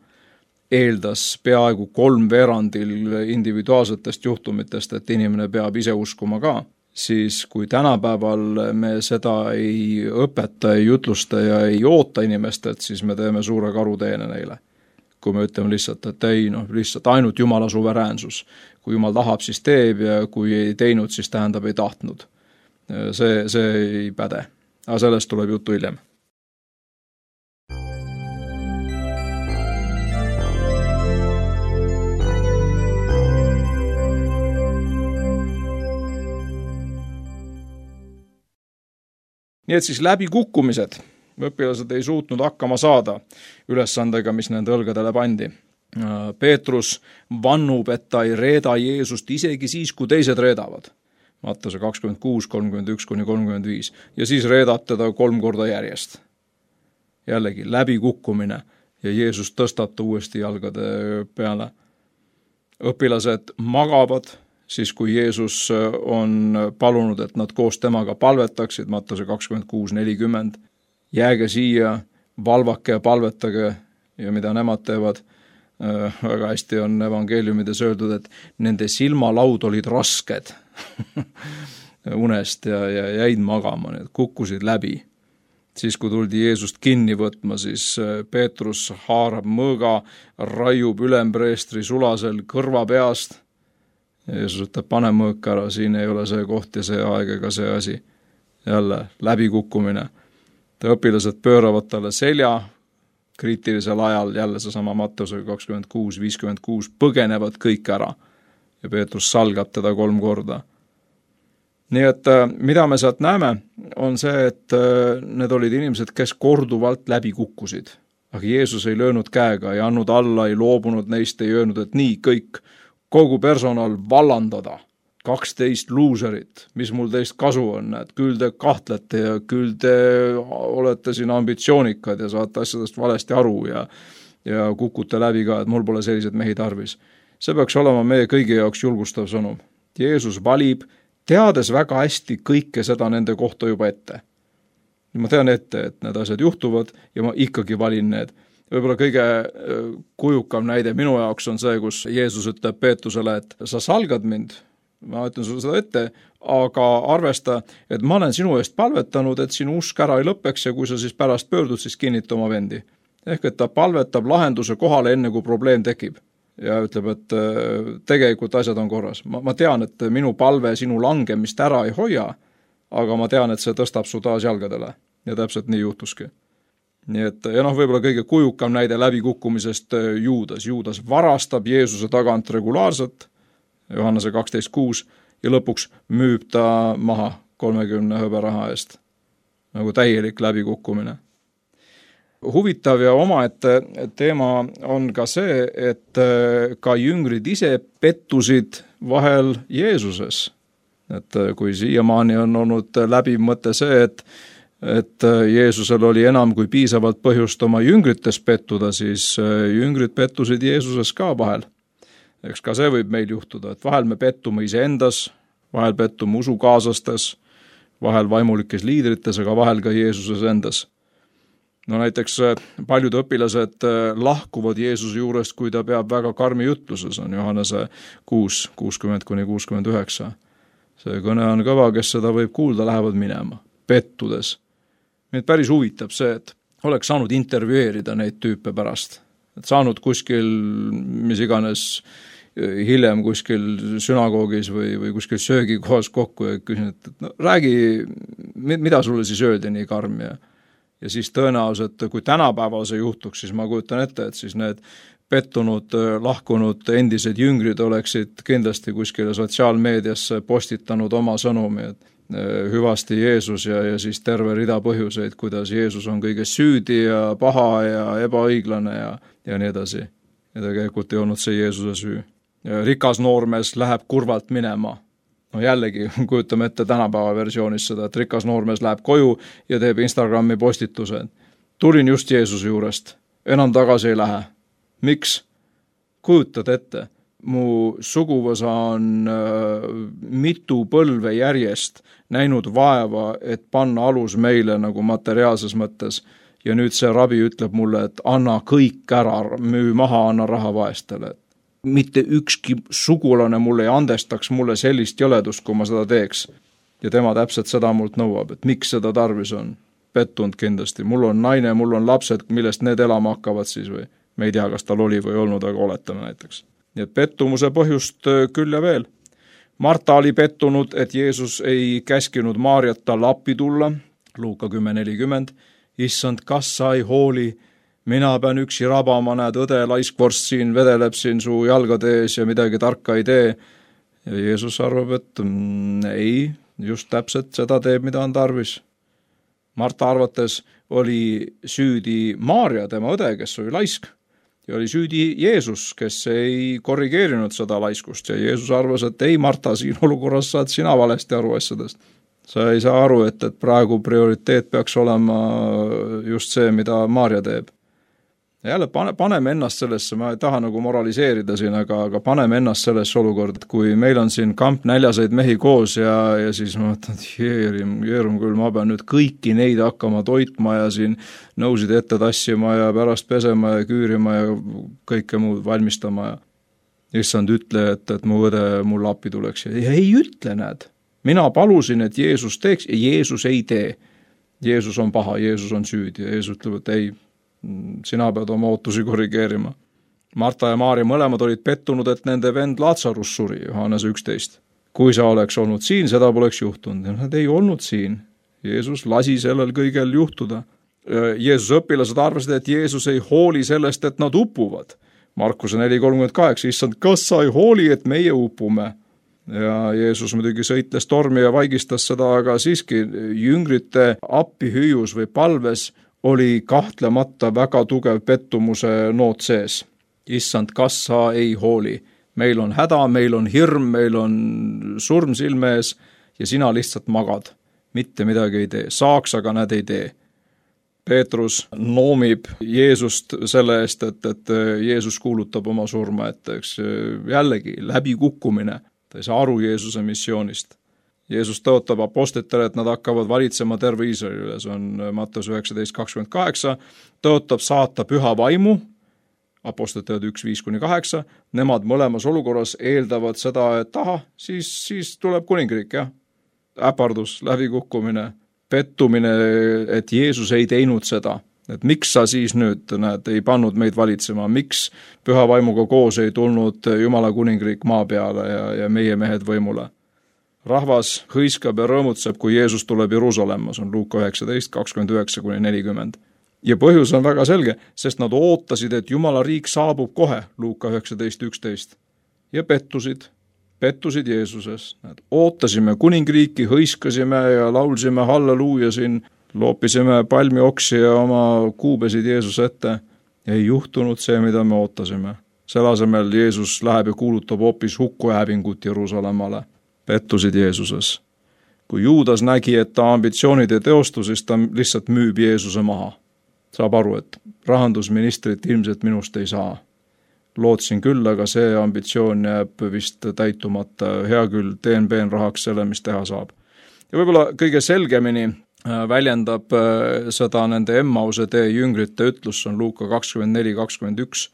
eeldas peaaegu kolm veerandil individuaalsetest juhtumitest, et inimene peab ise uskuma ka, siis kui tänapäeval me seda ei õpeta, ei jutlusta ja ei oota inimestelt, siis me teeme suure karuteene neile. Kui me ütleme lihtsalt, et ei, noh, lihtsalt ainult Jumala suveräänsus. Kui Jumal tahab, siis teeb ja kui ei teinud, siis tähendab ei tahtnud. See, see ei päde. Aga sellest tuleb juttu hiljem. Nii et siis läbi kukkumised. Õpilased ei suutnud hakkama saada ülesandega, mis nende õlgadele pandi. Peetrus vannub, et ta ei reeda Jeesust isegi siis, kui teised reedavad. Mattuse kakskümmend kuus, kolmkümmend üks kuni kolmkümmend viis. Ja siis reedab teda kolm korda järjest. Jällegi läbi kukkumine ja Jeesus tõstab ta uuesti jalgade peale. Õpilased magavad, siis kui Jeesus on palunud, et nad koos temaga palvetaksid, Mattuse kakskümmend kuus nelikümmend, jääge siia, valvake ja palvetage ja mida nemad teevad, väga hästi on evangeeliumides öeldud, et nende silmalaud olid rasked unest ja, ja jäid magama, need kukkusid läbi. Siis kui tuldi Jeesust kinni võtma, siis Peetrus haarab mõõga, raiub ülempreestri sulasel kõrva peast. Jeesus ütleb, pane mõõk ära, siin ei ole see koht ja see aeg ega see asi. Jälle läbikukkumine. Õpilased pööravad talle selja, kriitilisel ajal jälle seesama Mattuse kakskümmend kuus viiskümmend kuus põgenevad kõik ära ja Peetrus salgab teda kolm korda. Nii et mida me sealt näeme, on see, et need olid inimesed, kes korduvalt läbi kukkusid. Aga Jeesus ei löönud käega, ei andnud alla, ei loobunud neist, ei öelnud, et nii kõik, kogu personal vallandada. kaksteist luuserit, mis mul teist kasu on, et küll te kahtlete ja küll te olete siin ambitsioonikad ja saate asjadest valesti aru ja, ja kukute läbi ka, et mul pole sellised mehi tarvis. See peaks olema meie kõigi jaoks julgustav sõnum. Jeesus valib, teades väga hästi kõike seda nende kohta juba ette. Ma tean ette, et need asjad juhtuvad ja ma ikkagi valin need. Võib-olla kõige kujukam näide minu jaoks on see, kus Jeesus ütleb Peetusele, et sa salgad mind, ma ütlen sulle seda ette, aga arvesta, et ma olen sinu eest palvetanud, et sinu usk ära ei lõpeks ja kui sa siis pärast pöördud, siis kinnita oma vendi. Ehk et ta palvetab lahenduse kohale enne, kui probleem tekib. Ja ütleb, et tegelikult asjad on korras. Ma, ma tean, et minu palve sinu langemist ära ei hoia, aga ma tean, et see tõstab su taas jalgadele. Ja täpselt nii juhtuski. Nii et, ja noh, võib-olla kõige kujukam näide läbikukkumisest Juudas. Juudas varastab Jeesuse tagant regulaarselt, Johannese kaksteist kuus, ja lõpuks müüb ta maha kolmekümne hõberaha eest. Nagu täielik läbikukkumine. Huvitav ja omaette teema on ka see, et ka jüngrid ise pettusid vahel Jeesuses. Et kui siiamaani on olnud läbi mõte see, et, et Jeesusel oli enam kui piisavalt põhjust oma jüngrites pettuda, siis jüngrid pettusid Jeesuses ka vahel. Eks ka see võib meil juhtuda, et vahel me pettume iseendas, vahel pettume usukaaslastes, vahel vaimulikes liidrites, aga vahel ka Jeesuses endas. No näiteks paljud õpilased lahkuvad Jeesuse juurest, kui ta peab väga karmi jutluses, on Johannese kuus, kuuskümmend kuni kuuskümmend üheksa. See kõne on kõva, kes seda võib kuulda, lähevad minema, pettudes. Meid päris huvitab see, et oleks saanud intervjueerida neid tüüpe pärast. Et saanud kuskil, mis iganes hiljem kuskil sünagoogis või, või kuskil söögikohas kokku ja küsin, et no, räägi, mida sulle siis öeldi nii karm ja Ja siis tõenäoliselt, kui tänapäeval see juhtuks, siis ma kujutan ette, et siis need pettunud, lahkunud endised jüngrid oleksid kindlasti kuskile sotsiaalmeediasse postitanud oma sõnumi, et hüvasti Jeesus ja, ja siis terve rida põhjuseid, kuidas Jeesus on kõiges süüdi ja paha ja ebaõiglane ja, ja nii edasi. Ja tegelikult ei olnud see Jeesuse süü. Ja rikas noormees läheb kurvalt minema. No jällegi kujutame ette tänapäeva versioonis seda, et rikas noormees läheb koju ja teeb Instagrami postituse. Tulin just Jeesuse juurest, enam tagasi ei lähe. Miks? Kujutad ette, mu suguvõsa on äh, mitu põlve järjest näinud vaeva, et panna alus meile nagu materiaalses mõttes ja nüüd see rabi ütleb mulle, et anna kõik ära, müü maha, anna raha vaestele. Mitte ükski sugulane mulle ei andestaks mulle sellist jõledust, kui ma seda teeks. Ja tema täpselt seda mult nõuab, et miks seda tarvis on. Pettunud kindlasti. Mul on naine, mul on lapsed, millest need elama hakkavad siis või. Me ei tea, kas tal oli või olnud, aga oletame näiteks. Nii et pettumuse põhjust küll ja veel. Marta oli pettunud, et Jeesus ei käskinud Maarjat talle appi tulla. Luuka kümme nelikümmend. Issand, kas sa ei hooli? Mina pean üksi rabama, näed, õde laiskvorst siin vedeleb siin su jalgade ees ja midagi tarka ei tee. Ja Jeesus arvab, et mm, ei, just täpselt seda teeb, mida on tarvis. Marta arvates oli süüdi Maarja, tema õde, kes oli laisk. Ja oli süüdi Jeesus, kes ei korrigeerinud seda laiskust. Ja Jeesus arvas, et ei, Marta, siin olukorras saad sina valesti aru asjadest. Sa ei saa aru, et, et praegu prioriteet peaks olema just see, mida Maarja teeb. Ja jälle pane, paneme ennast sellesse, ma ei taha nagu moraliseerida siin, aga, aga paneme ennast sellesse olukord, et kui meil on siin kamp näljaseid mehi koos ja, ja siis ma mõtlen, et jeerum, jeerum küll, ma pean nüüd kõiki neid hakkama toitma ja siin nõusid ette tassima ja pärast pesema ja küürima ja kõike muud valmistama ja issand ütle, et, et mu õde mul appi tuleks ja ei ütle, näed. Mina palusin, et Jeesus teeks ja Jeesus ei tee. Jeesus on paha, Jeesus on süüdi ja Jeesus ütleb, et ei, sina pead oma ootusi korrigeerima. Marta ja Maarja mõlemad olid pettunud, et nende vend Laatsarus suri, Johannese üksteist. Kui sa oleks olnud siin, seda poleks juhtunud. Ja nad ei olnud siin. Jeesus lasi sellel kõigel juhtuda. Jeesuse õpilased arvasid, et Jeesus ei hooli sellest, et nad upuvad. Markuse neli kolmkümmend kaheksa, issand, kas sa ei hooli, et meie upume? Ja Jeesus muidugi sõitles tormi ja vaigistas seda, aga siiski jüngrite appihüüus või palves oli kahtlemata väga tugev pettumuse noot sees. Issand, kas sa ei hooli? meil on häda, meil on hirm, meil on surm silme ees ja sina lihtsalt magad, mitte midagi ei tee, saaks, aga nad ei tee. Peetrus noomib Jeesust selle eest, et, et Jeesus kuulutab oma surma, et eks jällegi läbikukkumine, ta ei saa aru Jeesuse missioonist. Jeesus tõotab apostlitele, et nad hakkavad valitsema terve Iisraelile, see on Matteus üheksateist kakskümmend kaheksa, tõotab saata püha vaimu, apostlite üks viis kuni kaheksa, nemad mõlemas olukorras eeldavad seda, et aha, siis, siis tuleb kuningriik, jah. Äpardus, läbikukkumine, pettumine, et Jeesus ei teinud seda, et miks sa siis nüüd, näed, ei pannud meid valitsema, miks püha vaimuga koos ei tulnud Jumala kuningriik maa peale ja, ja meie mehed võimule. Rahvas hõiskab ja rõõmutseb, kui Jeesus tuleb Jeruusalemma, see on Luuka üheksateist kakskümmend üheksa kuni nelikümmend. Ja põhjus on väga selge, sest nad ootasid, et Jumala riik saabub kohe, Luuka üheksateist üksteist. Ja pettusid, pettusid Jeesuses. Nad ootasime kuningriiki, hõiskasime ja laulsime halleluuja siin, loopisime palmioksi ja oma kuubesid Jeesuse ette. Ja ei juhtunud see, mida me ootasime. Selle asemel Jeesus läheb ja kuulutab hoopis hukku ja hävingut Jeruusalemmale. Pettusid Jeesuses. Kui Juudas nägi, et ta ambitsioonid ei teostu, siis ta lihtsalt müüb Jeesuse maha. Saab aru, et rahandusministrit ilmselt minust ei saa. Lootsin küll, aga see ambitsioon jääb vist täitumata. Hea küll, teen peen rahaks selle, mis teha saab. Ja võib-olla kõige selgemini väljendab seda nende Emmause tee jüngrite ütlus, on Luuka kakskümmend neli kakskümmend üks.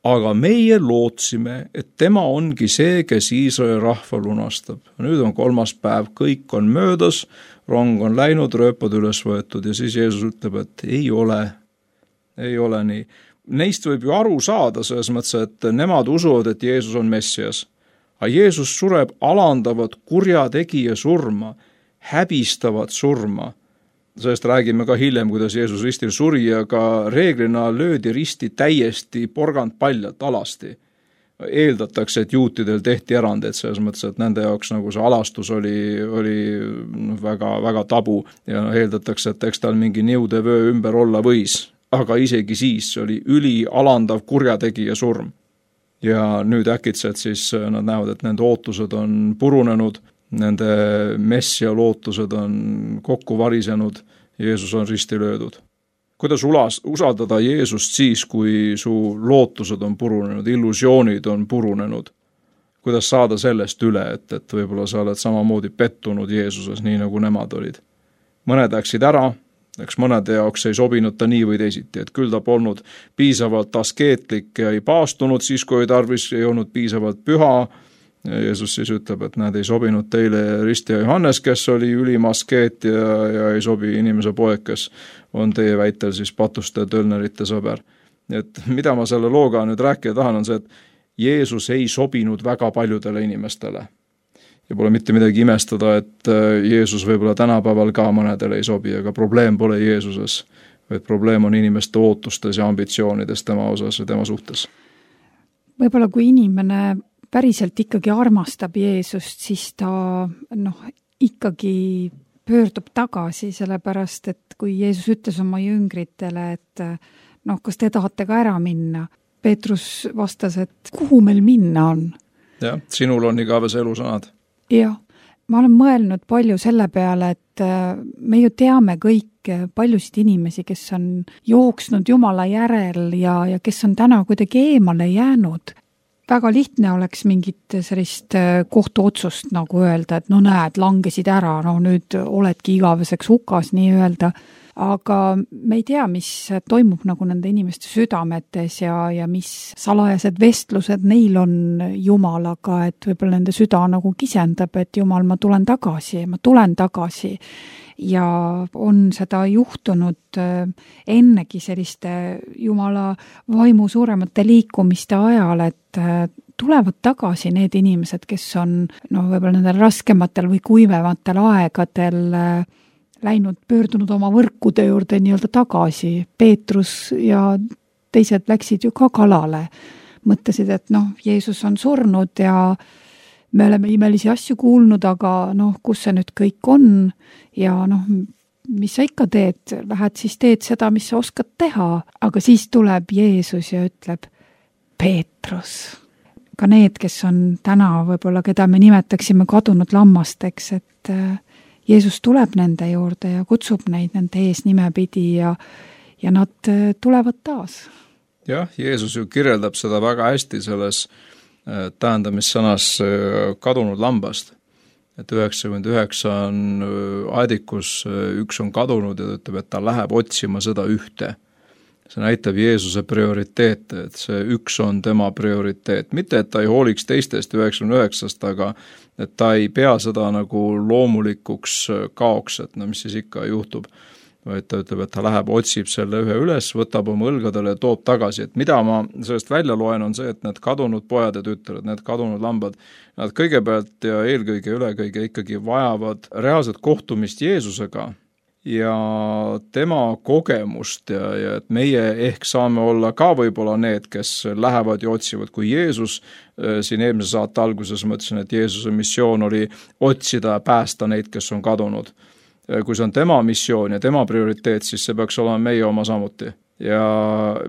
Aga meie lootsime, et tema ongi see, kes Iisraeli rahva lunastab. Nüüd on kolmas päev, kõik on möödas, rong on läinud, rööpad üles võetud ja siis Jeesus ütleb, et ei ole, ei ole nii. Neist võib ju aru saada selles mõttes, et nemad usuvad, et Jeesus on Messias. Aga Jeesus sureb alandavat kurjategija surma, häbistavat surma. Sellest räägime ka hiljem, kuidas Jeesus ristil suri, aga reeglina löödi risti täiesti porgand paljalt alasti. Eeldatakse, et juutidel tehti erandeid selles mõttes, et nende jaoks nagu see alastus oli, oli väga, väga tabu ja eeldatakse, et eks tal mingi niude vöö ümber olla võis. Aga isegi siis oli üli alandav kurjategija surm. Ja nüüd äkitselt siis nad näevad, et nende ootused on purunenud, nende messia lootused on kokku varisenud, Jeesus on risti löödud. Kuidas ulas, usaldada Jeesust siis, kui su lootused on purunenud, illusioonid on purunenud? Kuidas saada sellest üle, et, et võib-olla sa oled samamoodi pettunud Jeesuses, nii nagu nemad olid? Mõned läksid ära, eks mõnede jaoks ei sobinud ta nii või teisiti, et küll ta polnud piisavalt askeetlik ja ei paastunud siis, kui ei tarvis, ei olnud piisavalt püha. Ja Jeesus siis ütleb, et nad ei sobinud teile ristija Johannes, kes oli ülim askeet ja, ja ei sobi inimese poeg, kes on teie väitel siis patuste tölnerite sõber. Et mida ma selle looga nüüd rääkida tahan, on see, et Jeesus ei sobinud väga paljudele inimestele. Ja pole mitte midagi imestada, et Jeesus võib-olla tänapäeval ka mõnedele ei sobi, aga probleem pole Jeesuses, vaid probleem on inimeste ootustes ja ambitsioonides tema osas ja tema suhtes. Võib-olla kui inimene päriselt ikkagi armastab Jeesust, siis ta noh, ikkagi pöördub tagasi, sellepärast, et kui Jeesus ütles oma jüngritele, et noh, kas te tahate ka ära minna? Peetrus vastas, et kuhu meil minna on? Jah, sinul on igavese elusõnad. Jah, ma olen mõelnud palju selle peale, et me ju teame kõik paljusid inimesi, kes on jooksnud Jumala järel ja, ja kes on täna kuidagi eemale jäänud. Väga lihtne oleks mingit sellist kohtuotsust nagu öelda, et no näed, langesid ära, no nüüd oledki igaveseks hukas nii öelda, aga me ei tea, mis toimub nagu nende inimeste südametes ja, ja mis salajased vestlused neil on Jumalaga, et võib-olla nende süda nagu kisendab, et Jumal, ma tulen tagasi, ma tulen tagasi. Ja on seda juhtunud ennegi selliste Jumala vaimu suuremate liikumiste ajal, et tulevad tagasi need inimesed, kes on no, võib-olla nendel raskematel või kuivematel aegadel läinud, pöördunud oma võrkude juurde nii-öelda tagasi. Peetrus ja teised läksid ju ka kalale. Mõtlesid, et noh, Jeesus on surnud ja me oleme imelisi asju kuulnud, aga noh, kus see nüüd kõik on ja noh, mis sa ikka teed, lähed siis teed seda, mis sa oskad teha, aga siis tuleb Jeesus ja ütleb, Peetrus, ka need, kes on täna võib-olla, keda me nimetaksime kadunud lammasteks, et Jeesus tuleb nende juurde ja kutsub neid nende ees nimepidi ja, ja nad tulevad taas. Jah, Jeesus ju kirjeldab seda väga hästi selles tähendamissõnas kadunud lambast. Et üheksakümmend üheksa on aedikus, üks on kadunud ja ta ütleb, et ta läheb otsima seda ühte. See näitab Jeesuse prioriteete, et see üks on tema prioriteet. Mitte, et ta ei hooliks teistest üheksakümne üheksast, aga et ta ei pea seda nagu loomulikuks kaoks, et no mis siis ikka juhtub. Vaid ta ütleb, et ta läheb, otsib selle ühe üles, võtab oma õlgadele ja toob tagasi. Et mida ma sellest välja loen on see, et need kadunud pojad ja tütred, need kadunud lambad, nad kõigepealt ja eelkõige ülekõige ikkagi vajavad reaalset kohtumist Jeesusega ja tema kogemust ja, ja et meie ehk saame olla ka võib-olla need, kes lähevad ja otsivad, kui Jeesus, siin eelmise saate alguses mõtlesin, et Jeesuse missioon oli otsida ja päästa neid, kes on kadunud. Kui see on tema missioon ja tema prioriteet, siis see peaks olema meie oma samuti. Ja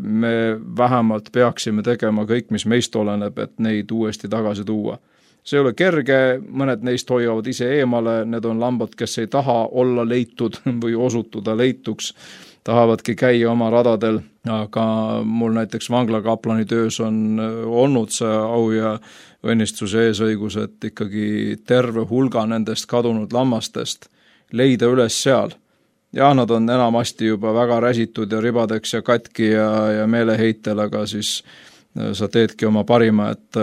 me vähemalt peaksime tegema kõik, mis meist oleneb, et neid uuesti tagasi tuua. See ei ole kerge, mõned neist hoiavad ise eemale, need on lambad, kes ei taha olla leitud või osutuda leituks, tahavadki käia oma radadel, aga mul näiteks vanglakaplani töös on olnud see au ja õnnistuse eesõigus, et ikkagi terve hulga nendest kadunud lammastest leida üles seal. Ja nad on enamasti juba väga räsitud ja ribadeks ja katki ja, ja meeleheitel, aga siis sa teedki oma parima, et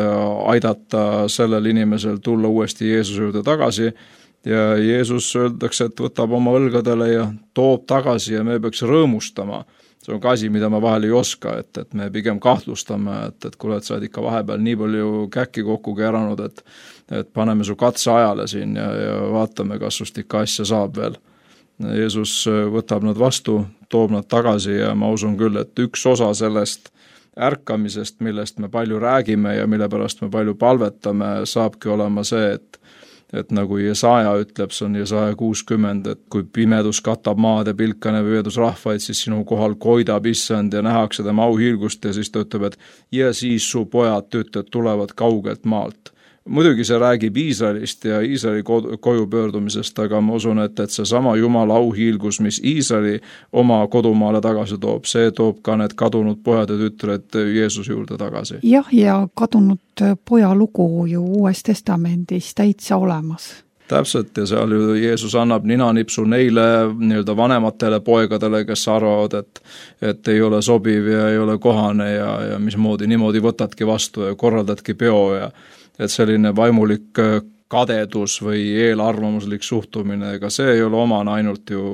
aidata sellel inimesel tulla uuesti Jeesuse juurde tagasi ja Jeesus öeldakse, et võtab oma õlgadele ja toob tagasi ja me peaks rõõmustama. See on ka asi, mida ma vahel ei oska, et, et me pigem kahtlustame, et, et kuule, et sa oled ikka vahepeal nii palju käkki kokku keeranud, et, et paneme su katse ajale siin ja, ja vaatame, kas sust ikka asja saab veel. Jeesus võtab nad vastu, toob nad tagasi ja ma usun küll, et üks osa sellest ärkamisest, millest me palju räägime ja mille pärast me palju palvetame, saabki olema see, et et nagu Jesaja ütleb, see on Jesaja kuuskümmend, et kui pimedus katab maad ja pilkane pimedus rahvaid, siis sinu kohal koidab issand ja nähakse tema auhiilgust ja siis ta ütleb, et ja siis su pojad, tütred tulevad kaugelt maalt. Muidugi see räägib Iisraelist ja Iisraeli koju pöördumisest, aga ma usun, et, et see sama Jumala auhiilgus, mis Iisraeli oma kodumaale tagasi toob, see toob ka need kadunud pojad ja tütred Jeesuse juurde tagasi. Jah, ja kadunud poja lugu ju Uues Testamendis täitsa olemas. Täpselt, ja seal ju Jeesus annab ninanipsu neile nii-öelda vanematele poegadele, kes arvavad, et, et ei ole sobiv ja ei ole kohane ja, ja mismoodi niimoodi võtadki vastu ja korraldadki peo ja et selline vaimulik kadedus või eelarvamuslik suhtumine, ega see ei ole omane ainult ju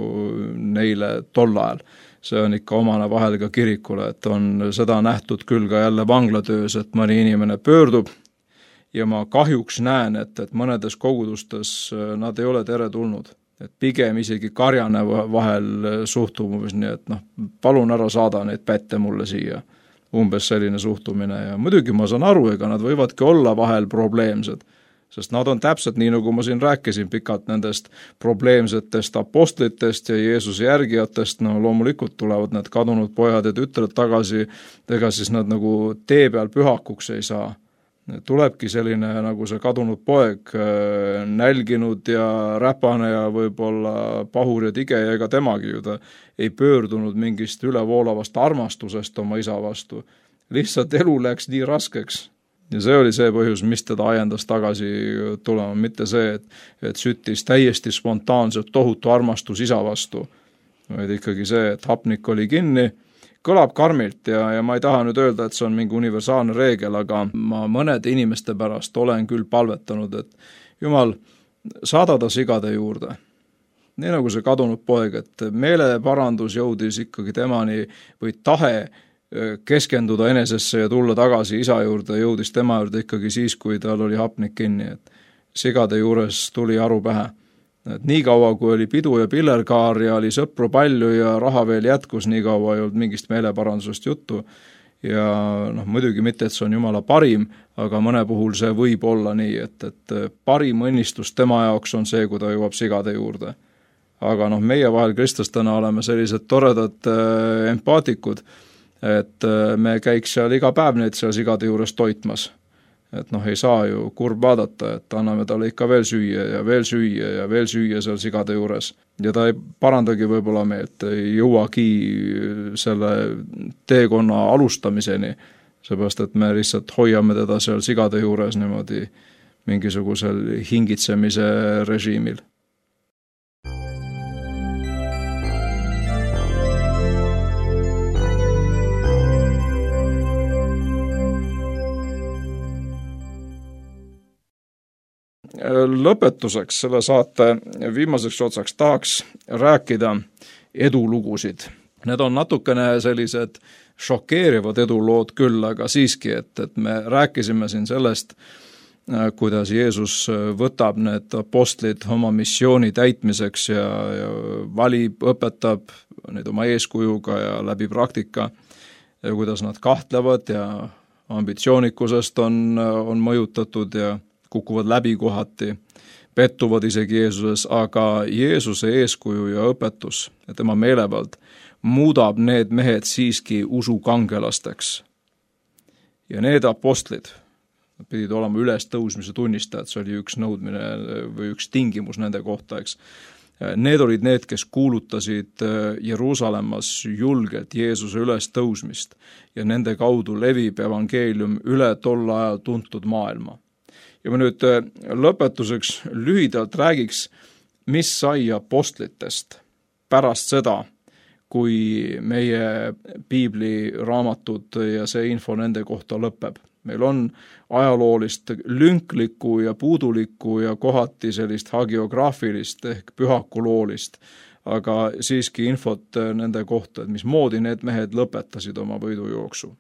neile tol ajal. See on ikka omane vahel ka kirikule, et on seda nähtud küll ka jälle vanglatöös, et mõni inimene pöördub ja ma kahjuks näen, et, et mõnedes kogudustes nad ei ole teretulnud. Et pigem isegi karjane vahel suhtumus, nii et noh, palun ära saada neid pätte mulle siia. Umbes selline suhtumine ja muidugi ma saan aru, ega nad võivadki olla vahel probleemsed, sest nad on täpselt nii, nagu ma siin rääkisin pikalt nendest probleemsetest apostlitest ja Jeesuse järgijatest, no loomulikult tulevad need kadunud pojad ja tütred tagasi, ega siis nad nagu tee peal pühakuks ei saa. Tulebki selline nagu see kadunud poeg, nälginud ja räpane ja võib-olla pahur ja tige ja ega temagi ju ta ei pöördunud mingist ülevoolavast armastusest oma isa vastu. Lihtsalt elu läks nii raskeks ja see oli see põhjus, mis teda ajendas tagasi tulema, mitte see, et, et süttis täiesti spontaanselt tohutu armastus isa vastu, vaid ikkagi see, et hapnik oli kinni. Kõlab karmilt ja, ja ma ei taha nüüd öelda, et see on mingi universaalne reegel, aga ma mõnede inimeste pärast olen küll palvetanud, et Jumal, saada ta sigade juurde. Nii nagu see kadunud poeg, et meeleparandus jõudis ikkagi temani või tahe keskenduda enesesse ja tulla tagasi isa juurde, jõudis tema juurde ikkagi siis, kui tal oli hapnik kinni. Et sigade juures tuli aru pähe. Et nii kaua, kui oli pidu ja pillerkaar ja oli sõpru palju ja raha veel jätkus, nii kaua ei olnud mingist meeleparandusest juttu. Ja noh, muidugi mitte, et see on Jumala parim, aga mõne puhul see võib olla nii, et, et parim õnnistus tema jaoks on see, kui ta jõuab sigade juurde. Aga noh, meie vahel kristlastena oleme sellised toredad äh, empaatikud, et äh, me käiks seal iga päev neid seal sigade juures toitmas. et noh, ei saa ju kurb vaadata, et anname talle ikka veel süüa ja veel süüa ja veel süüa seal sigade juures. Ja ta ei parandagi võib-olla meelt, ei jõuagi selle teekonna alustamiseni, seepärast et me lihtsalt hoiame teda seal sigade juures niimoodi mingisugusel hingitsemise režiimil. Lõpetuseks selle saate viimaseks otsaks tahaks rääkida edulugusid. Need on natukene sellised šokeerivad edulood küll, aga siiski, et, et me rääkisime siin sellest, kuidas Jeesus võtab need apostlid oma missiooni täitmiseks ja, ja valib, õpetab neid oma eeskujuga ja läbi praktika ja kuidas nad kahtlevad ja ambitsioonikusest on, on mõjutatud ja kukuvad läbi kohati, pettuvad isegi Jeesuses, aga Jeesuse eeskuju ja õpetus ja tema meelevald muudab need mehed siiski usukangelasteks. Ja need apostlid pidid olema ülestõusmise tunnistajad, see oli üks nõudmine või üks tingimus nende kohta, eks. Need olid need, kes kuulutasid Jeruusalemmas julgelt Jeesuse ülestõusmist ja nende kaudu levib evangeelium üle tol ajal tuntud maailma. Ja ma nüüd lõpetuseks lühidalt räägiks, mis sai apostlitest pärast seda, kui meie piibliraamatud ja see info nende kohta lõpeb. Meil on ajaloolist lünklikku ja puudulikku ja kohati sellist hagiograafilist ehk pühakuloolist, aga siiski infot nende kohta, et mismoodi need mehed lõpetasid oma võidujooksu.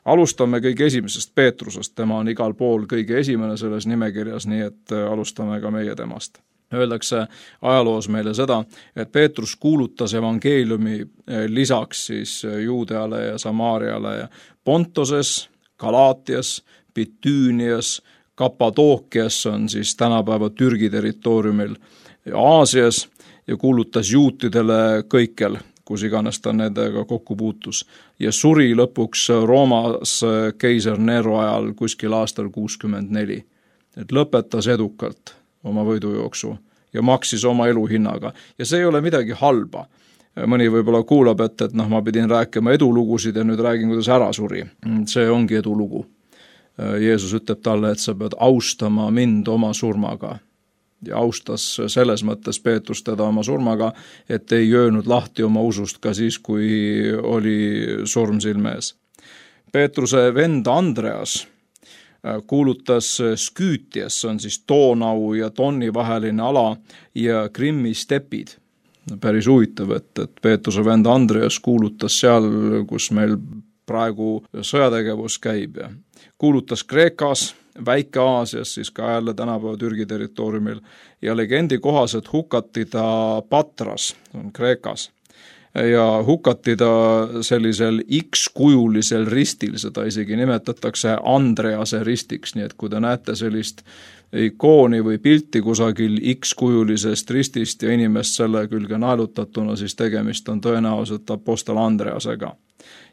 Alustame kõige esimesest Peetrusest, tema on igal pool kõige esimene selles nimekirjas, nii et alustame ka meie temast. Öeldakse ajaloos meile seda, et Peetrus kuulutas evangeeliumi lisaks siis Juudeale ja Samaariale ja Pontoses, Galaatias, Bitüünias, Kapadookias on siis tänapäeva Türgi territooriumil ja Aasias ja kuulutas juutidele kõikjal, kus iganes ta nendega kokku puutus. Ja suri lõpuks Roomas keiser Nero ajal kuskil aastal kuuskümmend neli. Et lõpetas edukalt oma võidujooksu ja maksis oma elu hinnaga. Ja see ei ole midagi halba. Mõni võib-olla kuulab, et, et noh, ma pidin rääkima edulugusid ja nüüd räägin, kuidas ära suri. See ongi edulugu. Jeesus ütleb talle, et sa pead austama mind oma surmaga. Ja austas selles mõttes Peetrus teda oma surmaga, et ei jöönud lahti oma usust ka siis, kui oli surm silme ees. Peetruse vend Andreas kuulutas Sküütias, on siis Doonau ja Tonni vaheline ala ja Krimmi stepid. Päris huvitav, et, et Peetruse vend Andreas kuulutas seal, kus meil praegu sõjategevus käib ja kuulutas Kreekas, Väike-Aasias, siis ka jälle tänapäeva Türgi territooriumil ja legendi kohaselt hukati ta Patras, on Kreekas, ja hukati ta sellisel X-kujulisel ristil, seda isegi nimetatakse Andrease ristiks, nii et kui te näete sellist ikooni või pilti kusagil X-kujulisest ristist ja inimest selle külge naelutatuna, siis tegemist on tõenäoliselt apostel Andreasega.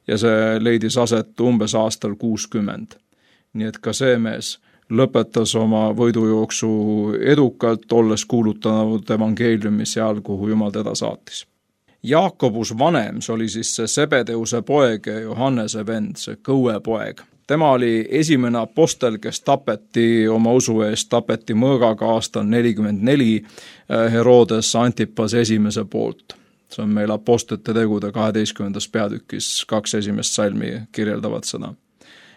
Ja see leidis aset umbes aastal kuuskümmend. Nii et ka see mees lõpetas oma võidujooksu edukalt, olles kuulutanud evangeeliumi seal, kuhu Jumal teda saatis. Jaakobus vanem, see oli siis see Sebedeuse poeg ja Johannese vend, see kõue poeg. Tema oli esimene apostel, kes tapeti oma usu eest, tapeti mõõgaga aastal nelikümmend neli Herodes Antipas esimese poolt. See on meil apostlite tegude kaheteistkümnendas peatükis, kaks esimest salmi kirjeldavad seda.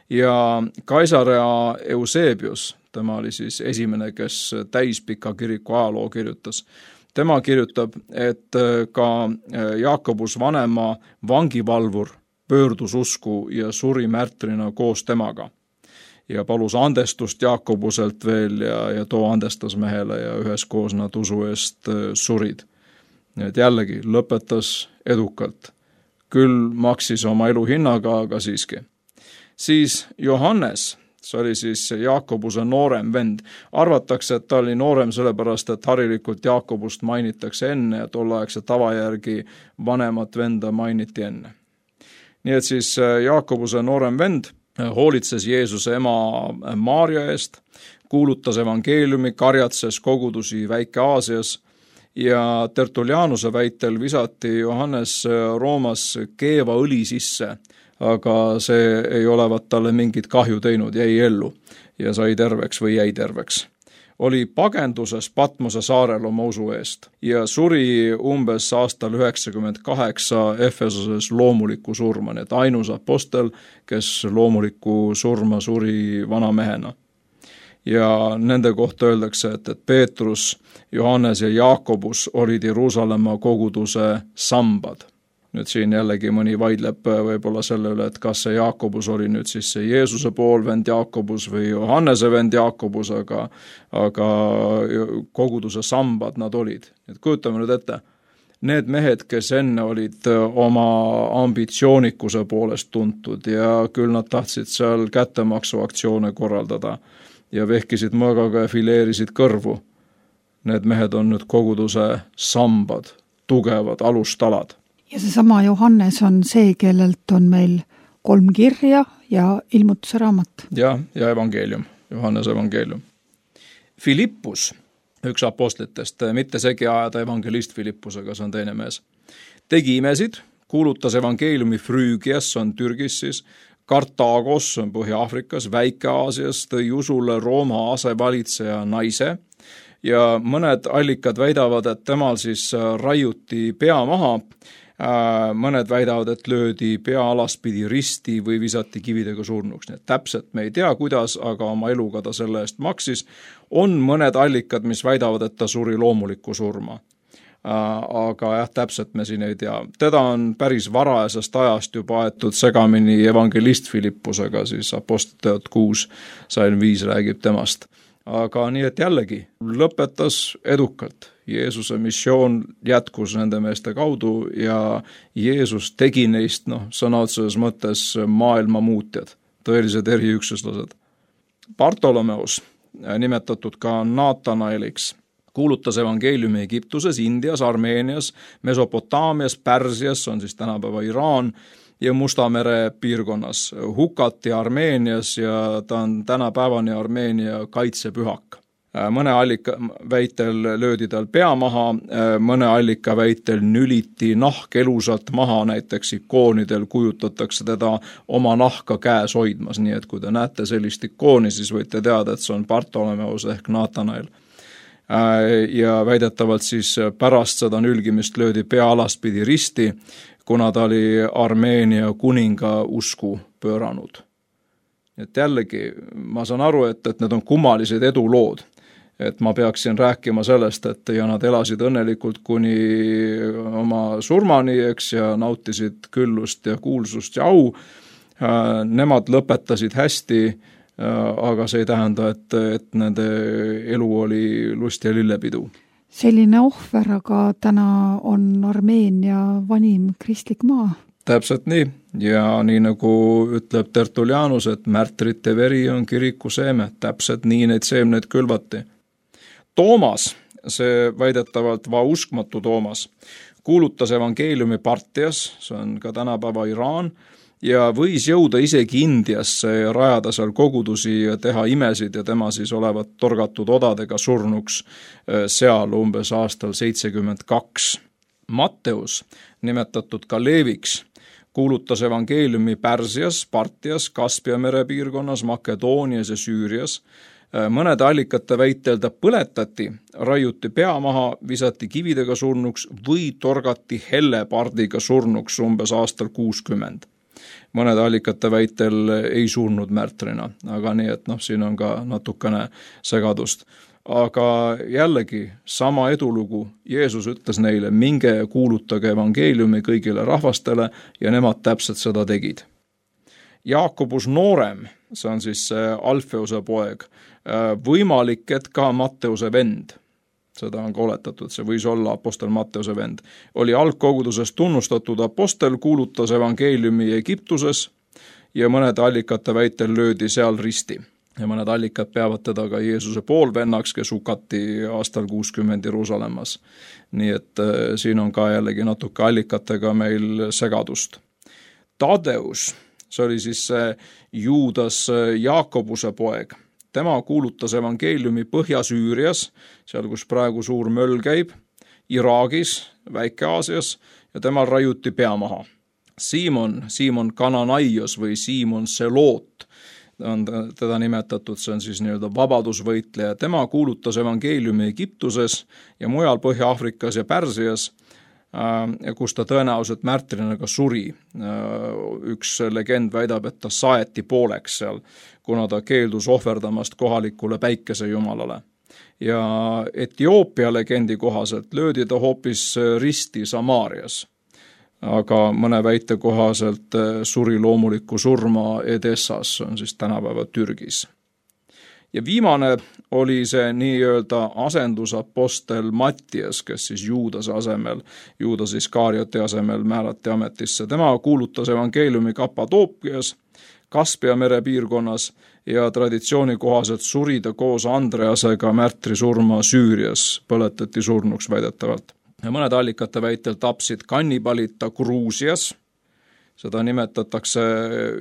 Ja Kaisarea Eusebius, tema oli siis esimene, kes täispika kiriku ajaloo kirjutas. Tema kirjutab, et ka Jaakobus vanema vangivalvur pöördus usku ja suri märtrina koos temaga. Ja palus andestust Jaakobuselt veel ja, ja too andestas mehele ja üheskoos nad usu eest surid. Nii et jällegi lõpetas edukalt. Küll maksis oma elu hinnaga, aga siiski. Siis Johannes, see oli siis Jaakobuse noorem vend. Arvatakse, et ta oli noorem sellepärast, et harilikult Jaakobust mainitakse enne ja tolleaegse tava järgi vanemat venda mainiti enne. Nii et siis Jaakobuse noorem vend hoolitses Jeesuse ema Maarja eest, kuulutas evangeeliumi, karjatses kogudusi Väike-Aasias ja Tertullianuse väitel visati Johannes Roomas keeva õli sisse, aga see ei olevat talle mingit kahju teinud, jäi ellu ja sai terveks või jäi terveks. Oli pagenduses Patmose saarel oma usu eest ja suri umbes aastal üheksakümmend kaheksa Efesoses loomuliku surma, nii et ainus apostel, kes loomuliku surma suri vana mehena. Ja nende kohta öeldakse, et, et Peetrus, Johannes ja Jaakobus olid Jeruusalemma koguduse sambad. Nüüd siin jällegi mõni vaidleb võib-olla selle üle, et kas see Jaakobus oli nüüd siis see Jeesuse poolvend Jaakobus või Johannese vend Jaakobus, aga, aga koguduse sambad nad olid. Et kujutame nüüd ette, need mehed, kes enne olid oma ambitsioonikuse poolest tuntud ja küll nad tahtsid seal kättemaksuaktsioone korraldada ja vehkisid mõõgaga ja fileerisid kõrvu. Need mehed on nüüd koguduse sambad, tugevad alustalad. Ja seesama Johannes on see, kellelt on meil kolm kirja ja ilmutuse raamat. Ja, ja evangeelium, Johannes evangeelium. Filippus, üks apostlitest, mitte segi ajada evangelist Filippusega, see on teine mees, tegi imesid, kuulutas evangeeliumi Früügias, on Türgis siis, Kartaagos, on Põhja-Afrikas, Väike-Aasias, tõi usule Rooma asevalitseja naise ja mõned allikad väidavad, et temal siis raiuti pea maha, mõned väidavad, et löödi pea alaspidi risti või visati kividega surnuks. Nii et täpselt me ei tea, kuidas, aga oma eluga ta selle eest maksis. On mõned allikad, mis väidavad, et ta suri loomulikku surma. Aga jah, täpselt me siin ei tea. Teda on päris varajasest ajast juba aetud segamini evangelist Filippusega, siis Apostliteod kuus sain viis räägib temast. Aga nii, et jällegi lõpetas edukalt. Jeesuse missioon jätkus nende meeste kaudu ja Jeesus tegi neist, noh, sõna otseses mõttes maailma muutjad, tõelised eriüksuslased. Bartolomeus, nimetatud ka Naatanaeliks, kuulutas evangeeliumi Egiptuses, Indias, Armeenias, Mesopotaamias, Pärsias, on siis tänapäeva Iraan, ja Musta mere piirkonnas hukati Armeenias ja ta on tänapäevani Armeenia kaitsepühak. Mõne allika väitel löödi tal pea maha, mõne allika väitel nüliti nahk elusalt maha, näiteks ikoonidel kujutatakse teda oma nahka käes hoidmas, nii et kui te näete sellist ikooni, siis võite teada, et see on Bartolomeus ehk Naatanael. Ja väidetavalt siis pärast seda nülgimist löödi pea alaspidi risti, kuna ta oli Armeenia kuninga usku pööranud. Et jällegi, ma saan aru, et, et need on kummalised edulood. Et ma peaksin rääkima sellest, et ja nad elasid õnnelikult kuni oma surmani, eks, ja nautisid küllust ja kuulsust ja au. Nemad lõpetasid hästi, aga see ei tähenda, et, et nende elu oli lust ja lillepidu. Selline ohver, aga täna on Armeenia vanim kristlik maa. Täpselt nii. Ja nii nagu ütleb Tertullianus, et märtrite veri on kiriku seeme. Täpselt nii neid seemneid külvati. Toomas, see väidetavalt vauskmatu Toomas, kuulutas evangeeliumi Partias, see on ka tänapäeva Iraan, ja võis jõuda isegi Indiasse ja rajada seal kogudusi ja teha imesid ja tema siis olevat torgatud odadega surnuks seal umbes aastal seitsekümmend kaks. Matteus, nimetatud ka Leeviks, kuulutas evangeeliumi Pärsias, Partias, Kaspia mere piirkonnas, Makedoonias ja Süürias. Mõnede allikate väitel ta põletati, raiuti pea maha, visati kividega surnuks või torgati hellepardiga surnuks umbes aastal kuuskümmend. Mõnede allikate väitel ei surnud märtrina, aga nii, et noh, siin on ka natukene segadust. Aga jällegi sama edulugu, Jeesus ütles neile, minge kuulutage evangeeliumi kõigile rahvastele ja nemad täpselt seda tegid. Jaakobus noorem, see on siis Alfeuse poeg, võimalik, et ka Matteuse vend, seda on ka oletatud, see võis olla apostel Matteuse vend, oli algkoguduses tunnustatud apostel, kuulutas evangeeliumi Egiptuses ja mõnede allikate väitel löödi seal risti. Ja mõned allikad peavad teda ka Jeesuse poolvennaks, kes hukati aastal kuuskümmend Jeruusalemmas. Nii et siin on ka jällegi natuke allikatega meil segadust. Tadeus, see oli siis see Juudas Jaakobuse poeg. Tema kuulutas evangeeliumi Põhja-Süürias, seal kus praegu suur möll käib, Iraagis, Väike-Aasias ja temal raiuti pea maha. Siimon, Siimon Kananaios või Siimon Seloot on teda nimetatud, see on siis nii-öelda vabadusvõitleja. Tema kuulutas evangeeliumi Egiptuses ja mujal Põhja-Aafrikas ja Pärsias, kus ta tõenäoliselt märtrina ka suri. Üks legend väidab, et ta saeti pooleks seal, kuna ta keeldus ohverdamast kohalikule päikesejumalale. Ja Etioopia legendi kohaselt löödi ta hoopis risti Samaarias, aga mõne väite kohaselt suri loomulikku surma Edessas, on siis tänapäeva Türgis. Ja viimane oli see nii-öelda asendusapostel Mattias, kes siis Juudase asemel, Juudas Iskarioti asemel määrati ametisse. Tema kuulutas evangeeliumi Kapadoopias, Kaspia mere piirkonnas ja traditsiooni kohaselt suri ta koos Andreasega märtri surma Süürias, põletati surnuks väidetavalt. Ja mõned allikate väitel tapsid kannibalid ta Gruusias, seda nimetatakse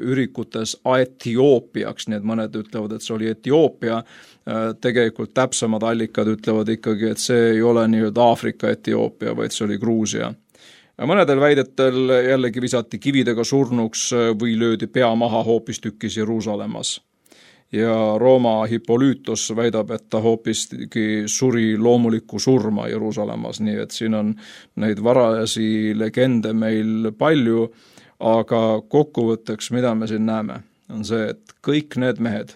ürikutes Etioopiaks, nii et mõned ütlevad, et see oli Etioopia, tegelikult täpsemad allikad ütlevad ikkagi, et see ei ole nii-öelda Aafrika Etioopia, vaid see oli Gruusia. Mõnedel väidetel jällegi visati kividega surnuks või löödi pea maha hoopistükkis Jeruusalemmas. Ja Rooma Hippolytos väidab, et ta hoopiski suri loomulikku surma Jeruusalemmas, nii et siin on neid varajasi legende meil palju, aga kokkuvõtteks, mida me siin näeme, on see, et kõik need mehed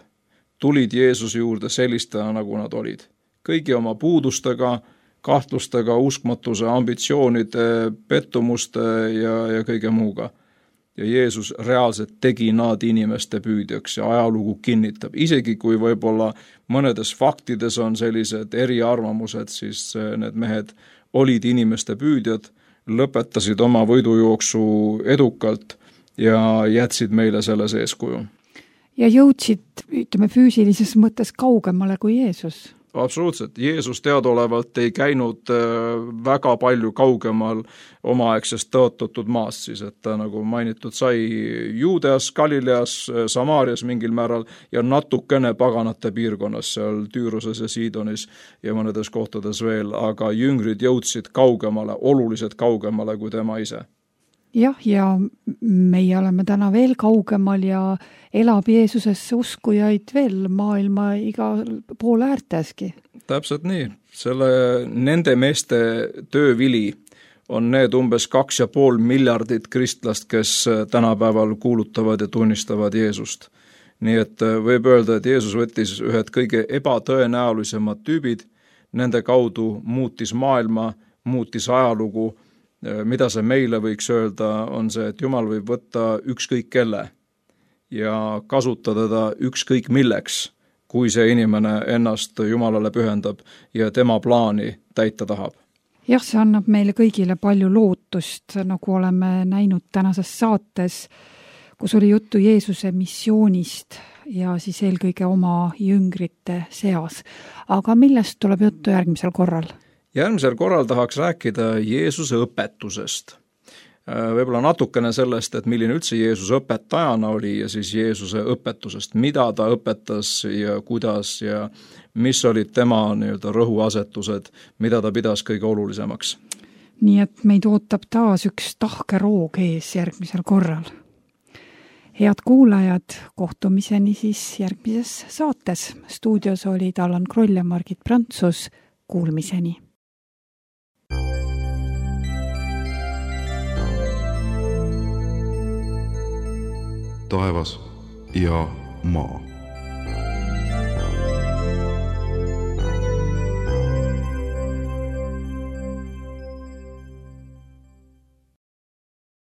tulid Jeesuse juurde sellistena, nagu nad olid. Kõigi oma puudustega, kahtlustega, uskmatuse, ambitsioonide, pettumuste ja, ja kõige muuga. Ja Jeesus reaalselt tegi nad inimeste püüdjaks ja ajalugu kinnitab. Isegi kui võib-olla mõnedes faktides on sellised eriarvamused, siis need mehed olid inimeste püüdjad, lõpetasid oma võidujooksu edukalt ja jätsid meile selles eeskuju. Ja jõudsid, ütleme, füüsilises mõttes kaugemale kui Jeesus. Absoluutselt. Jeesus teadaolevalt ei käinud väga palju kaugemal omaaegsest tõotatud maast, siis et ta nagu mainitud sai Juudeas, Galileas, Samaarias mingil määral ja natukene paganate piirkonnas, seal Tüüruses ja Siidonis ja mõnedes kohtades veel, aga jüngrid jõudsid kaugemale, oluliselt kaugemale kui tema ise. Jah, ja meie oleme täna veel kaugemal ja elab Jeesusesse uskujaid veel maailma igal pool äärteski. Täpselt nii. Selle, nende meeste töövili on need umbes kaks ja pool miljardit kristlast, kes tänapäeval kuulutavad ja tunnistavad Jeesust. Nii et võib öelda, et Jeesus võttis ühed kõige ebatõenäolisemad tüübid, nende kaudu muutis maailma, muutis ajalugu. Mida see meile võiks öelda, on see, et Jumal võib võtta ükskõik kelle ja kasutada ta ükskõik milleks, kui see inimene ennast Jumalale pühendab ja tema plaani täita tahab. Jah, see annab meile kõigile palju lootust, nagu oleme näinud tänases saates, kus oli juttu Jeesuse missioonist ja siis eelkõige oma jüngrite seas. Aga millest tuleb juttu järgmisel korral? Järgmisel korral tahaks rääkida Jeesuse õpetusest. Võib-olla natukene sellest, et milline üldse Jeesuse õpetajana oli ja siis Jeesuse õpetusest, mida ta õpetas ja kuidas ja mis olid tema nii-öelda rõhuasetused, mida ta pidas kõige olulisemaks. Nii et meid ootab taas üks tahke roog ees järgmisel korral. Head kuulajad, kohtumiseni siis järgmises saates. Stuudios olid Allan Kroll ja Margit Prantsus. Kuulmiseni. Taevas ja maa.